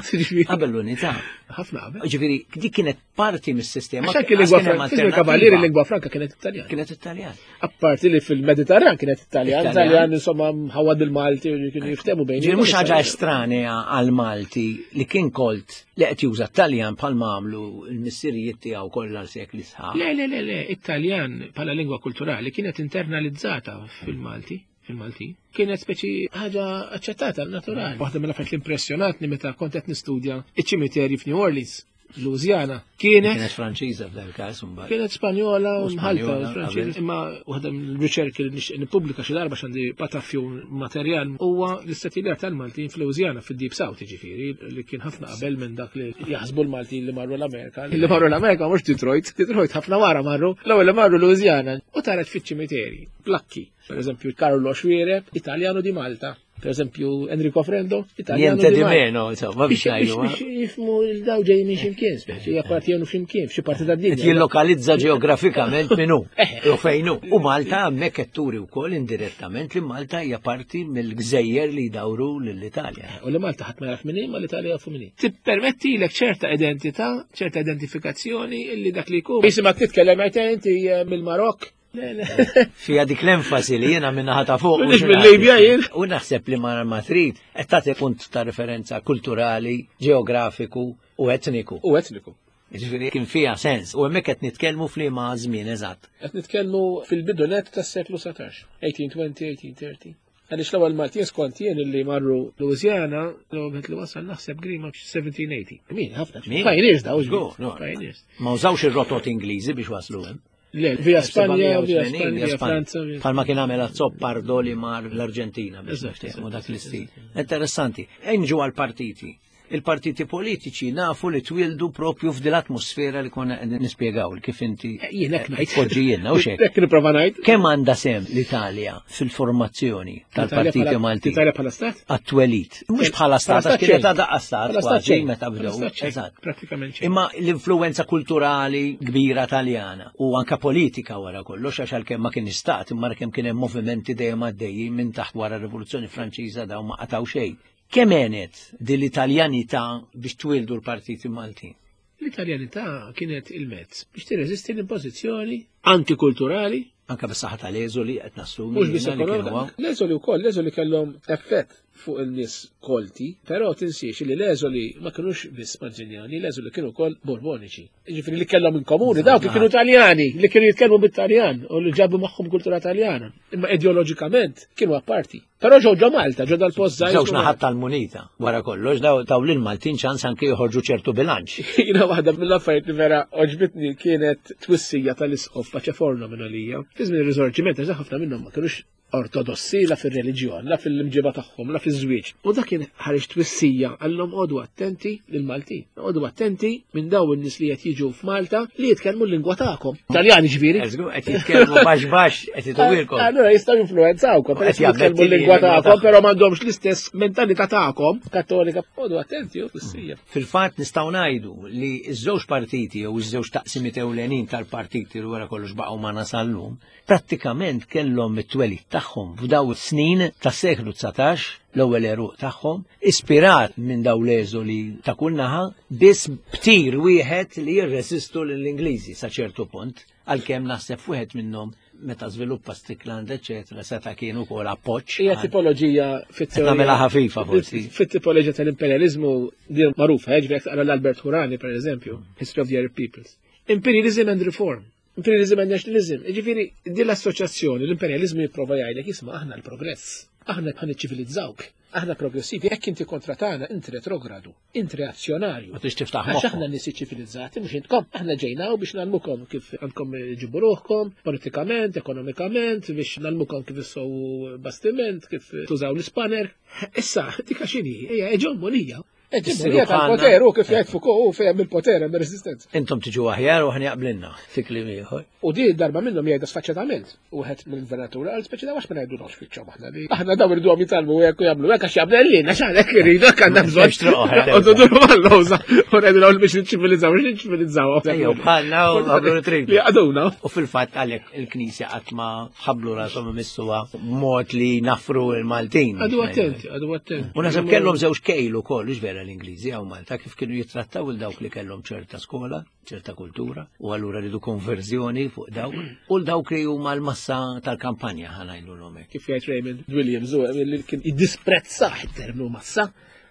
Qabel l-unità. Ħafna qabel. Jiġifieri, dik kienet parti mis-sistema. Għax anke lingwa franka, il-kavallieri lingwa franka kienet Italjan. Kienet Italjan. Apparti li fil-Mediterran kienet Italjan, Italjan insomma mħawad bil-Malti u kienu jiftemu bejn. Ġifieri mhux ħaġa estranea għal-Malti li kien kolt li qed juża Taljan bħalma għamlu l-missirijiet tiegħu kollha sekli sħaħ. Le, le, le, le, Italjan bħala lingwa kulturali kienet internalizzata fil-Malti fil-Malti. Kienet speċi ħaġa aċċettata, naturali. Waħda mill-affarijiet li impressjonatni meta kont qed nistudja iċ-ċimiterji f'New Orleans. Louisiana. Kienet. Kienet Franċiża f'dan il-każ imbagħad. Kienet Spanjola u mħalta Franċiża, imma waħda mill-riċerki li nixtieq nippubblika xi darba x'għandi pataffju materjal huwa l-istatiljar tal-Maltin f'Louisiana fid-Deep South jiġifieri li kien ħafna qabel minn dak li jaħsbu l-Maltin li marru l-Amerika. Li marru l-Amerika mhux Detroit, Detroit ħafna wara marru, l-ewwel li marru Louisiana u taret fiċ-ċimiteri, plakki. Per eżempju, Carlo Xuereb, Italjano di Malta. Per eżempju, Enrico Frendo, Italjano. Niente di meno, insomma, biex biex jifmu l-daw ġej minn ximkien, speċi jappartjenu ximkien, f'xi parti ta' dinja. Jillokalizza ġeografikament minnu, eh. u fejnu. U Malta hemmhekk qed turi wkoll indirettament li Malta hija parti mill-gżejjer li jdawru lill-Italja. Eh, u li Malta ħadd ma jaf minni, ma l-Italja jafu minni. Tippermettilek ċerta identità, ċerta identifikazzjoni illi dak li jkun. Jisimak titkellem għajt inti eh, mill-Marok, Fija dik l-enfasi li jiena minna ħata fuq. Mhux mill-Libja jien. U naħseb li ma ma trid qed tagħti punt ta' referenza kulturali, ġeografiku u etniku. U etniku. Ġifieri kien fiha sens u hemmhekk qed nitkellmu f'liema żmien eżatt. Qed nitkellmu fil-bidu net tas-seklu 19, 1820, 1830. Għaliex l-ewwel Maltin skont jien illi marru Louisiana, l-ewwel wieħed li wasal naħseb Grima 1780. Min ħafna. Pioneers daw, Pioneers. Ma użawx ir-rotot Ingliżi biex waslu hemm. Le, via Spanja, via Spanja, via Franza. Palma kien għamel Azzopardo li mar l-Arġentina biex niftehmu dak l-istil. Interessanti. Enġu għal-partiti. Il-partiti politiċi nafu li twildu propju f'dil atmosfera li konna nispjegaw kif inti eh, jien hekk ngħid. Poġġi jiena u xek. Hekk nipprova ngħid. Kemm għandha sem l-Italja fil-formazzjoni tal-partiti Malti? L-Italja bħala stat? Għat-twelit. Mhux bħala stat, għax kienet għadha stat kważi meta bdew. Eżatt. Pratikament xejn. Imma l-influenza kulturali kbira Taljana u anka politika wara kollox għax għalkemm ma kien stat imma kemm kien hemm movimenti dejjem għaddejjin minn taħt wara r-Rivoluzzjoni Franċiża dawn ma qataw xejn. Kemm għenet din l-Italjanità biex twieldu l-partiti Maltin? L-Italjanità kienet il-mezz biex tirreżisti l-impożizzjoni antikulturali. Anka bis-saħħa tal-eżoli qed nassumi. Mhux biss ekonomika. L-eżoli wkoll, l-eżoli kellhom effett fuq il-nies kolti, però tinsiex li l-eżoli ma kinux biss Mazziniani, l-eżoli kienu wkoll Borboniċi. Jiġifieri li kellhom in komuni dawk li kienu Taljani, li kienu jitkellmu bit-Taljan u li ġabu magħhom kultura Taljana. Imma ideoloġikament kienu apparti. Però ġew ġo Malta, ġo dal-post żgħir. Żewġ naħat tal-munita, wara kollox, daw lil Maltin ċans anke joħorġu ċertu bilanċ. Jiena waħda mill-affarijiet li vera oġbitni kienet twissija tal-isqof Paċeforno minn għalija. Fi żmien ir-Risorġiment, għax ħafna minnhom ma kinux ortodossi la fir-reliġjon, la fil-imġiba tagħhom, la fiż-żwieġ. U dak kien ħareġ twissija għallhom għodu attenti lill-Maltin. Għodu attenti minn daw in-nies li qed jiġu f'Malta li jitkellmu l-lingwa tagħkom. Taljani ġifieri. Qed jitkellmu baxx baxx qed ituwilkom. Allura jistgħu jinfluwenzawkom, qed jitkellmu l-lingwa tagħkom, però m'għandhomx l-istess mentalità tagħkom kattolika. Għodu attenti u twissija. Fil-fatt nistgħu ngħidu li ż-żewġ partiti jew iż-żewġ taqsimiet ewlenin tal-partiti li wara kollox baqgħu ma nasallum, prattikament kellhom it-twelid tagħhom f'daw is-snin tas-seklu 19, l-ewwel għeruq tagħhom, ispirat minn daw l-eżoli ta' kull naħa, biss b'tir wieħed li jirreżistu lill-Ingliżi sa ċertu punt, għalkemm naħseb wieħed minnhom meta żviluppa Strickland, eċetera, seta' kien ukoll appoġġ. Hija tipoloġija fit-teorija. Nagħmilha ħafifa forsi. Fit-tipoloġija tal-imperjaliżmu din magħrufa, jiġifieri taqra l-Albert Hurani pereżempju, History of the Arab Peoples. Imperialism and Reform. Imperialism and Nationalism. Ġifieri, din l-assoċjazzjoni, l-imperializmu jipprova jgħidlek isma' aħna l-progress, aħna bħal niċċivilizzawk, aħna progressivi, jekk inti kontra tagħna, inti retrogradu, inti reazzjonarju. Ma tix tiftaħ Għax aħna nies ċivilizzati, mhux intkom, aħna ġejna biex nagħlmukom kif għandkom ġibu ruħkom, politikament, ekonomikament, biex nagħlmukom kif issowu bastiment, kif tużaw l-ispanner. Issa, dik x'inhi, hija eġemonija. Eġemonija tal-poter, u kif jgħid Foucault, u fejn il-poter hemm ir-reżistenza. Intom tiġu aħjar u aħna jaqblilna fi kliem ieħor. U di darba minnhom jgħidha sfaċċatament. Wieħed mill-gvernatur qal speċi daw għax ma ngħidulhomx fiċċhom aħna li aħna daw irduhom jitgħallmu hekk u jagħmlu hekk għax jagħmel lilna x'għalhekk iridu hekk għandna bżonn. U tuduru mal-lowża u ngħidulhom biex niċċivilizzaw, biex niċċivilizzaw. Ejjew bħalna u għamlu tridu. Li għaduna. U fil-fatt għalhekk il-Knisja qatt ma ħablu rashom imissuha b'mod li nafru l-Maltin. Għadu attenti, għadu attenti. U naħseb kellhom żewġ kejl ukoll, hux vera l-Ingliżi hawn Malta kif kienu jittrattaw il dawk li kellhom ċerta skola, ċerta kultura, u allura ridu konverżjoni fuq dawk, u l-dawk li huma l-massa tal-kampanja ħa ngħidulhom hekk. Kif jgħid Raymond Williams, u li kien jiddisprezzah it-terminu massa,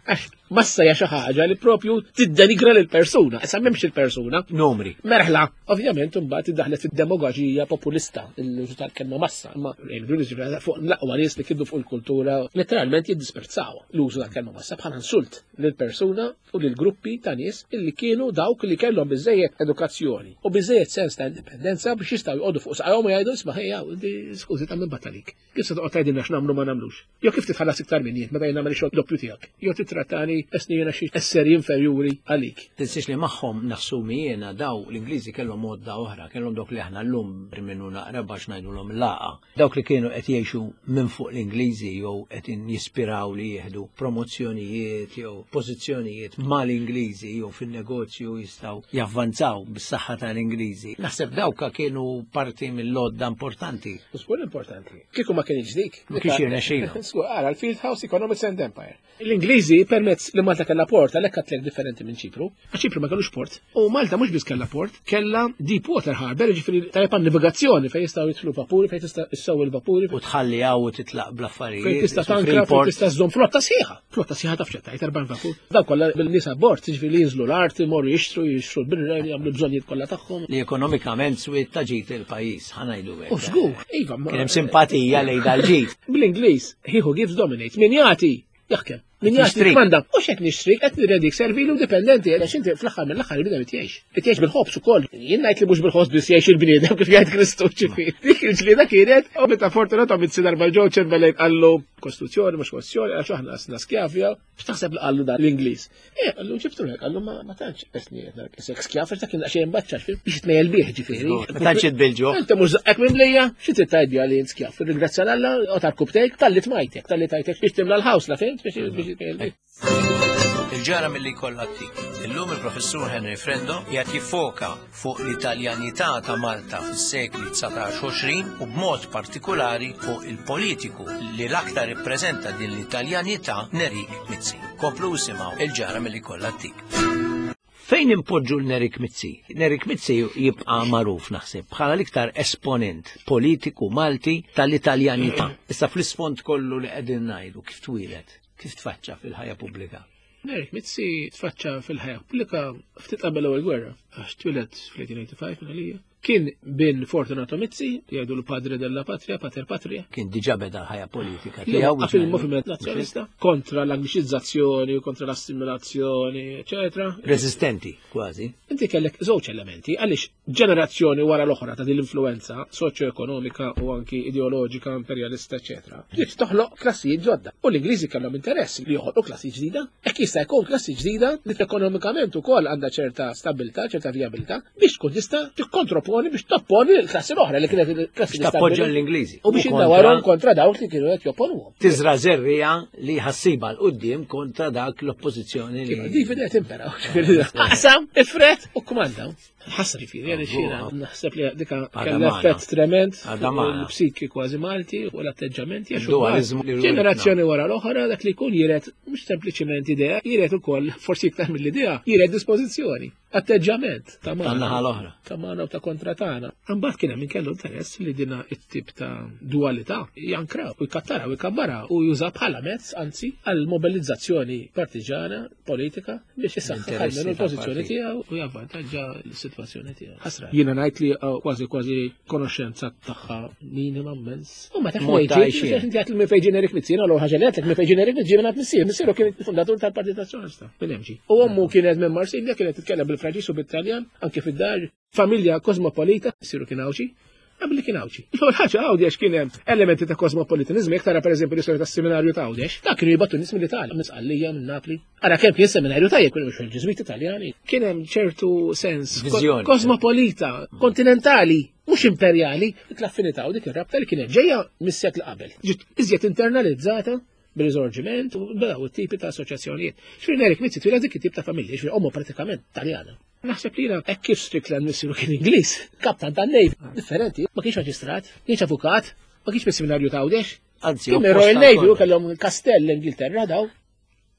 għax massa hija xi ħaġa li propju tiddenigra lil persuna, issa m'hemmx il-persuna. Numri. Merħla. Ovvjament imbagħad iddaħlet fid-demagoġija populista, l-użu tal-kelma massa, imma il-Williams fuq l-aqwa nies li kiddu fuq il-kultura letteralment jiddisprezzaw l-użu tal-kelma massa bħala insult lil persuna u lil gruppi ta' nies illi kienu dawk li kellhom biżejjed edukazzjoni u biżejjed sens ta' indipendenza biex jistgħu jqogħdu fuq saqajhom u jgħidu isma' ħejja, skużi ta' minn batalik. Kif se toqgħod tgħidilna x'nagħmlu ma nagħmlux? Jew kif titħallas iktar minni meta jien nagħmel ix-xogħol doppju tiegħek? Jew titratta. tittrattani esni jiena xi esseri inferjuri għalik. Tinsiex li magħhom nassumi jiena daw l-Ingliżi kellhom għodda oħra, kellhom dawk li aħna llum minnu naqra biex ngħidulhom laqa. Dawk li kienu qed jgħixu minn fuq l-Ingliżi jew qed jispiraw li jieħdu promozzjonijiet jew pożizzjonijiet mal-Ingliżi jew fin-negozju jistgħu javvanzaw bis-saħħa tal-Ingliżi. Naħseb dawka kienu parti mill-għodda importanti. Żgur importanti. Kieku ma kienx dik. Ma kienx jirnexxilu. Żgur, ara l-Field House Economics and Empire. L-Ingliżi permezz li Malta kellha port għalhekk għatlek differenti minn Ċipru. Għax Ċipru ma kellux port. U Malta mhux biss kellha port, kellha deep water harbor, ġifieri tajjeb għan-navigazzjoni fejn jistgħu jidħlu vapuri, fejn tista' issew il-vapuri. U tħalli hawn u titlaq bl-affarijiet. Fejn tista' tankra, fejn tista' żżomm flotta sħiħa. Flotta sħiħa taf x'qed 40 vapur. Daw kollha bil-nies abbord, ġifieri li jinżlu l-art, imorru jixtru, jixtru l-birra, jagħmlu bżonnijiet kollha tagħhom. Li ekonomikament swiet ta' ġid il-pajjiż, ħa ngħidu hekk. U żgur, iva. Kien hemm simpatija lejn dal-ġid. Bl-Ingliż, he who gives dominates. Min jagħti jaħkem. Min jagħti kmanda. U xek nixtri, qed nirredik servili u dipendenti, għax inti fl-aħħar mill-aħħar il-bniedem qed jgħix. Qed jgħix bil-ħobż ukoll. Jien ngħid li mhux bil-ħobż biss jgħix il-bniedem kif jgħid Kristu ġifieri. Dik il-ġlieda kienet u meta Fortunato Mizzi darba ġew Chamberlain qallu kostituzzjoni mhux kostituzzjoni għax aħna sna skjavja. X'taħseb li qallu dan l-Ingliż? Eh, qallu ġibtu lek, qallu ma tantx qesni qed narak isek skjaf għax dak kien daqsxejn baċċax biex jitmejjel bih ġifieri. Ma tantx itbilġu. Inti mhux żaqqek minn lejja, xi trid tgħid biha li int skjaf? Ringrazzja l Alla u tal-kubtejk talli tmajtek, talli tajtek biex timla l-ħaws la fint biex jitmejjel bih. Il-ġara milli jkollha t-tik. Illum il-Professur Henry Frendo qiegħed jiffoka fuq l-Italjanità ta' Malta fis-sekli 19 u b'mod partikulari fuq il-politiku li l-aktar ippreżenta din l-Italjanità Nerik Mizzi. Komplu isimgħu il-ġara milli jkollha t-tik. Fejn impoġġu l-Nerik Mizzi? Nerik Mizzi jibqa' magħruf naħseb bħala l-iktar esponent politiku Malti tal-Italjanità. Issa fl-isfond kollu li qegħdin ngħidu kif twieled, kif tfaċċa fil-ħajja pubblika? Nerik Mizzi tfaċċa fil-ħajja pubblika ftit qabel l-ewwel gwerra, għax twieled fl-1885 minn għalija. Kien bin Fortunato Mizzi, jgħidu l-padre della patria, pater patria. Kien diġà beda l-ħajja politika tiegħu. Fil-moviment nazzjonalista kontra l-angliċizzazzjoni, kontra l-assimilazzjoni, eċetera. Resistenti, kważi. Inti kellek żewġ elementi għaliex ġenerazzjoni wara l-oħra ta' din l-influenza soċjo-ekonomika u anki ideoloġika, imperjalista, eċetera. Bdiet toħloq klassijiet ġodda. U l-Ingliżi kellhom interess li joħolqu klassi ġdida. Hekk jista' jkun klassi ġdida li ekonomikament ukoll għandha ċerta stabilità, ċerta vijabilità, biex tkun tista' tikkontroponi biex topponi l-klassi l-oħra li kienet il-klassi li tappoġġa l-Ingliżi. U biex indawarhom kontra dawk li kienu qed jopponuhom. Tiżra żerriegħa li ħassiba 'l quddiem kontra dak l-oppożizzjoni li. Divide et impera. Aqsam, ifret u kmanda. Ħasra ġifieri, għaliex jiena naħseb li dika kellha effett trement il-psiki kważi Malti u l-atteġġamenti għax ġenerazzjoni wara l-oħra dak li jkun jiret mhux sempliċiment idea, jiret ukoll forsi iktar mill-idea, jiret dispożizzjoni, atteġġament ta' magħna. l-oħra. Ta' magħna u ta' kontra tagħna. Imbagħad kien hemm min kellu interess li dina it-tip ta' dualità jankra u jkattara u jkabbara u juża bħala mezz anzi għal mobilizzazzjoni partiġana politika biex isaħħaħ almenu l-pożizzjoni tiegħu u javvantaġġa l-sitwazzjoni tiegħu. Ħasra. Jiena ngħid li uh, kważi kważi konoxxenza tagħha minima immens. U ma tafx fejn inti għat minn fejn ġenerik Mizzi, l ħaġa li għatlek minn fejn ġenerik Mizzi minn missier, missieru kien il-fundatur tal-Partit Nazzjonalista minn MG. U ommu kienet minn Marsilja kienet titkellem bil-Franċiż u bit-Taljan anke fid-dar, familja kosmopolita, missieru kien Għawdxi, qabel li kien Għawdxi. L-ewwel ħaġa Għawdex kien hemm elementi ta' kosmopolitanizmu, jekk tara pereżempju l-istorja tas-seminarju ta' Għawdex, dak kienu jibgħatu nies mill-Italja, minn Sqallija, minn Napli. Ara kemm kien seminarju tajjeb kienu mhux il-Ġiżwiti Taljani. Kien hemm ċertu sens kosmopolita, kontinentali, mhux imperjali, dik l-affinità u dik ir-rabta li kienet ġejja mis-seklu qabel. Ġiet iżjed internalizzata bil-risorġiment u bdew it-tipi ta' assoċjazzjonijiet. Xfir Nerik Mizzi twila dik it-tip ta' familja, xfir ommu pratikament Taljana. Naħseb li jiena hekk kif Strickland missieru kien Ingliż, kaptan tan-Navy, differenti, ma kienx maġistrat, kienx avukat, ma kienx mis-seminarju ta' Għawdex. Anzi, kien Royal Navy u kellhom kastell l-Ingilterra daw.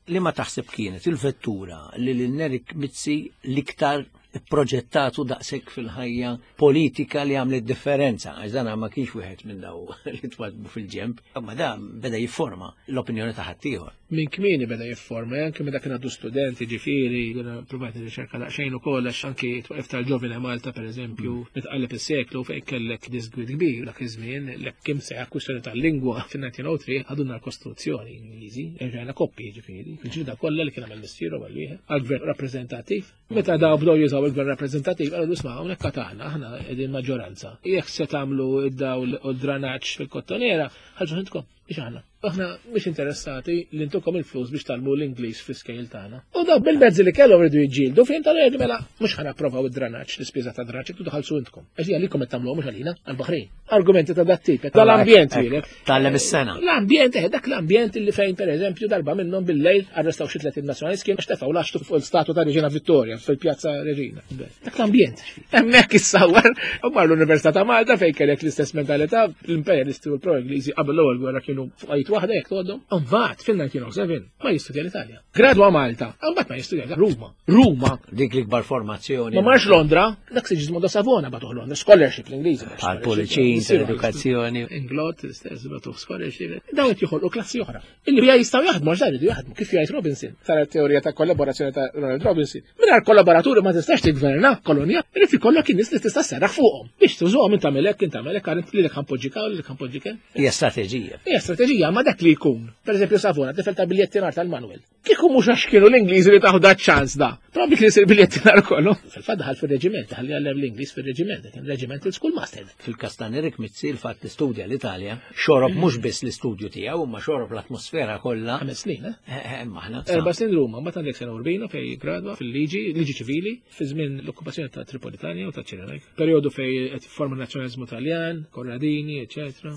Li ma taħseb kienet il-vettura li lil Nerik Mizzi l-iktar proġettatu daqshekk fil-ħajja politika li għamlet differenza, għax dan ma kienx wieħed minn daw li twadbu fil-ġemp, ma dan beda jifforma l-opinjoni ta' ħaddieħor. Minn kmieni beda jifforma, anke meta kien għadu studenti, ġifieri, jiena provajt nirriċerka daqsxejn ukoll għax anki twaqif tal-Ġovine Malta pereżempju, mm. meta qaleb is-seklu fejn kellek disgwid kbir dak iż-żmien, l kim seħ kwistjoni tal-lingwa fin-1903 ħadulna l-Kostituzzjoni Ingliżi, erġajna koppi ġifieri, il-ġlida kollha li kien għamel missieru għal wieħed għall-gvern rappreżentattiv. Meta daw bdew jużaw il-gvern rappreżentattiv, qalu isma' hawnhekk aħna, aħna qegħdin maġġoranza. Jekk se tagħmlu id-dawl u d-dranaġġ fil-kottonera, ħarġu intkom, biex aħna. Aħna mhux interessati li ntukom il-flus biex talmu l-Ingliż fl-iskejl tagħna. U daw bil-mezzi li kellhom rridu jiġġieldu fejn tal-għedu mela mhux ħana approvaw id-dranaġġ, l-ispiża ta' dranaġġ, intu tħallsu intkom. Għax hija likom qed tagħmluha mhux għalina, għall-Baħrin. Argumenti ta' dat tip, tal-ambjent jilek. Tgħallem is-sena. L-ambjent, eh, dak l-ambjent li fejn pereżempju darba minnhom bil-lejl arrestaw xi 30 nazzjonalist kien għax tefgħu laxtu fuq l-statwa ta' Reġina Vittoria fil-Pjazza Reġina. Dak l-ambjent. Hemmhekk issawar u mar l-Università ta' Malta fejn kellek l-istess mentalità, l-imperialisti u l-pro-Ingliżi qabel l-ewwel gwerra kienu fuq waħda jekk tgħoddhom. Imbagħad fil-1907 ma jistudja l-Italja. Gradwa Malta, imbagħad ma jistudja Ruma. Ruma. Dik l-ikbar formazzjoni. Ma marx Londra, dak Sigismondo Savona bagħtuh Londra, scholarship l-Ingliżi. Għal puliċin, edukazzjoni. Inglot, l-istess bagħtuh scholarship. Dawn qed joħolqu klassi oħra. Illi bija jistgħu jaħdmu għax jridu jaħdmu, kif jgħid Robinson, tara teorija ta' kollaborazzjoni ta' Ronald Robinson. Mingħajr kollaboraturi ma tistax tigverna kolonja, irid ikollok in-nies li tista' serraħ fuqhom. Biex tużuhom int tagħmel hekk, int tagħmel hekk, għal lilek ħanpoġġik hawn, lilek ħanpoġġik hemm. Hija strateġija. Hija strateġija, ma dak li jkun. Pereżempju Savona, tifel ta' biljettinar tal-Manuel. Kieku mhux għax kienu l-Ingliżi li taħu dat ċans da. Probabbli kien isir biljettinar kollu. Fil-fatt daħal fir-reġiment, daħal jgħallem l-Ingliż fir-reġiment, kien reġiment il-schoolmaster. Fil-każ ta' Nerik Mizzi l-fatt li studja l-Italja, xorob mhux biss l-istudju tiegħu, imma xorob l-atmosfera kollha. Ħames snin, eh? eh, eh maħna. Erba' snin Ruma, mbagħad għandek sena Urbino fej gradwa fil-liġi, liġi ċivili, fi żmien l-okkupazzjoni ta' Tripolitania u ta' Ċirenajka. Perjodu fej qed forma nazzjonaliżmu Taljan, Corradini, eċetera.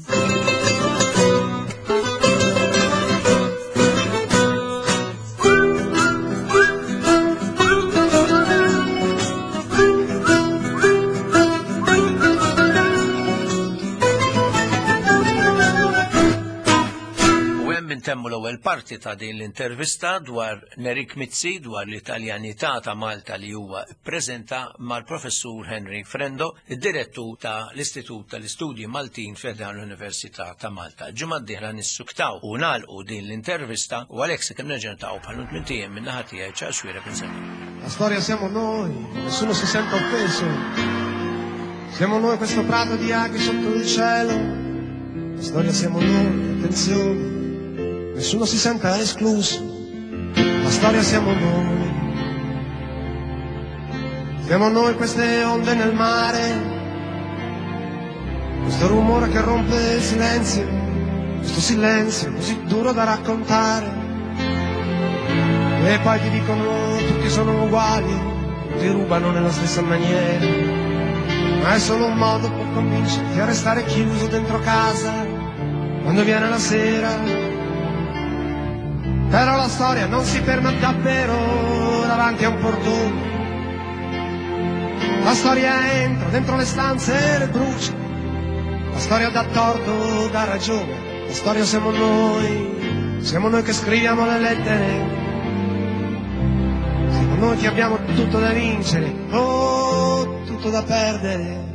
Intemmu l-ewwel parti ta' din l-intervista dwar Nerik Mizzi dwar l-Italjanità ta' Malta li huwa ppreżenta mal-Professur Henry Frendo, id-Direttur ta' l-Istitut tal-Istudji Maltin fi ħdan l-Università ta' Malta. Ġimgħa d-dieħla nissuktaw u nagħlqu din l-intervista u għalhekk sakemm nerġa' niltaqgħu bħal tmint ijiem min-naħa tiegħi Charles Xuereb insellem. La storia siamo noi, nessuno si sente offeso. Siamo noi questo prato di aghi sotto il cielo. La storia siamo noi, attenzione, nessuno si senta escluso. La storia siamo noi. Siamo noi queste onde nel mare, questo rumore che rompe il silenzio, questo silenzio così duro da raccontare. E poi ti dicono tutti sono uguali, tutti rubano nella stessa maniera. Ma è solo un modo per convincerti a restare chiuso dentro casa quando viene la sera. Però la storia non si ferma davvero davanti a un portone. La storia entra dentro le stanze e le brucia. La storia dà torto, dà ragione. La storia siamo noi, siamo noi che scriviamo le lettere. Siamo noi che abbiamo tutto da vincere o tutto da perdere.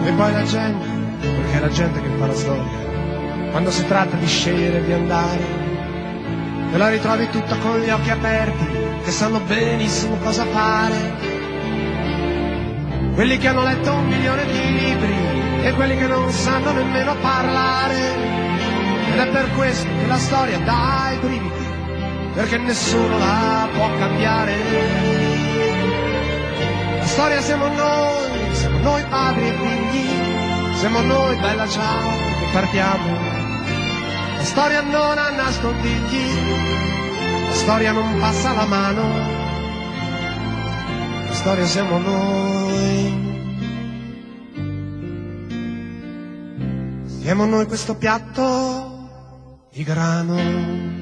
E poi la gente, perché è la gente che fa la storia, quando si tratta di scegliere di andare, te la ritrovi tutta con gli occhi aperti, che sanno benissimo cosa fare. Quelli che hanno letto 1 milione di libri e quelli che non sanno nemmeno parlare. Ed è per questo che la storia dà i brividi, perché nessuno la può cambiare. La storia siamo noi, siamo noi padri e figli, siamo noi bella ciao che partiamo. La storia non ha nascondigli, la storia non passa la mano, la storia siamo noi. Siamo noi questo piatto di grano.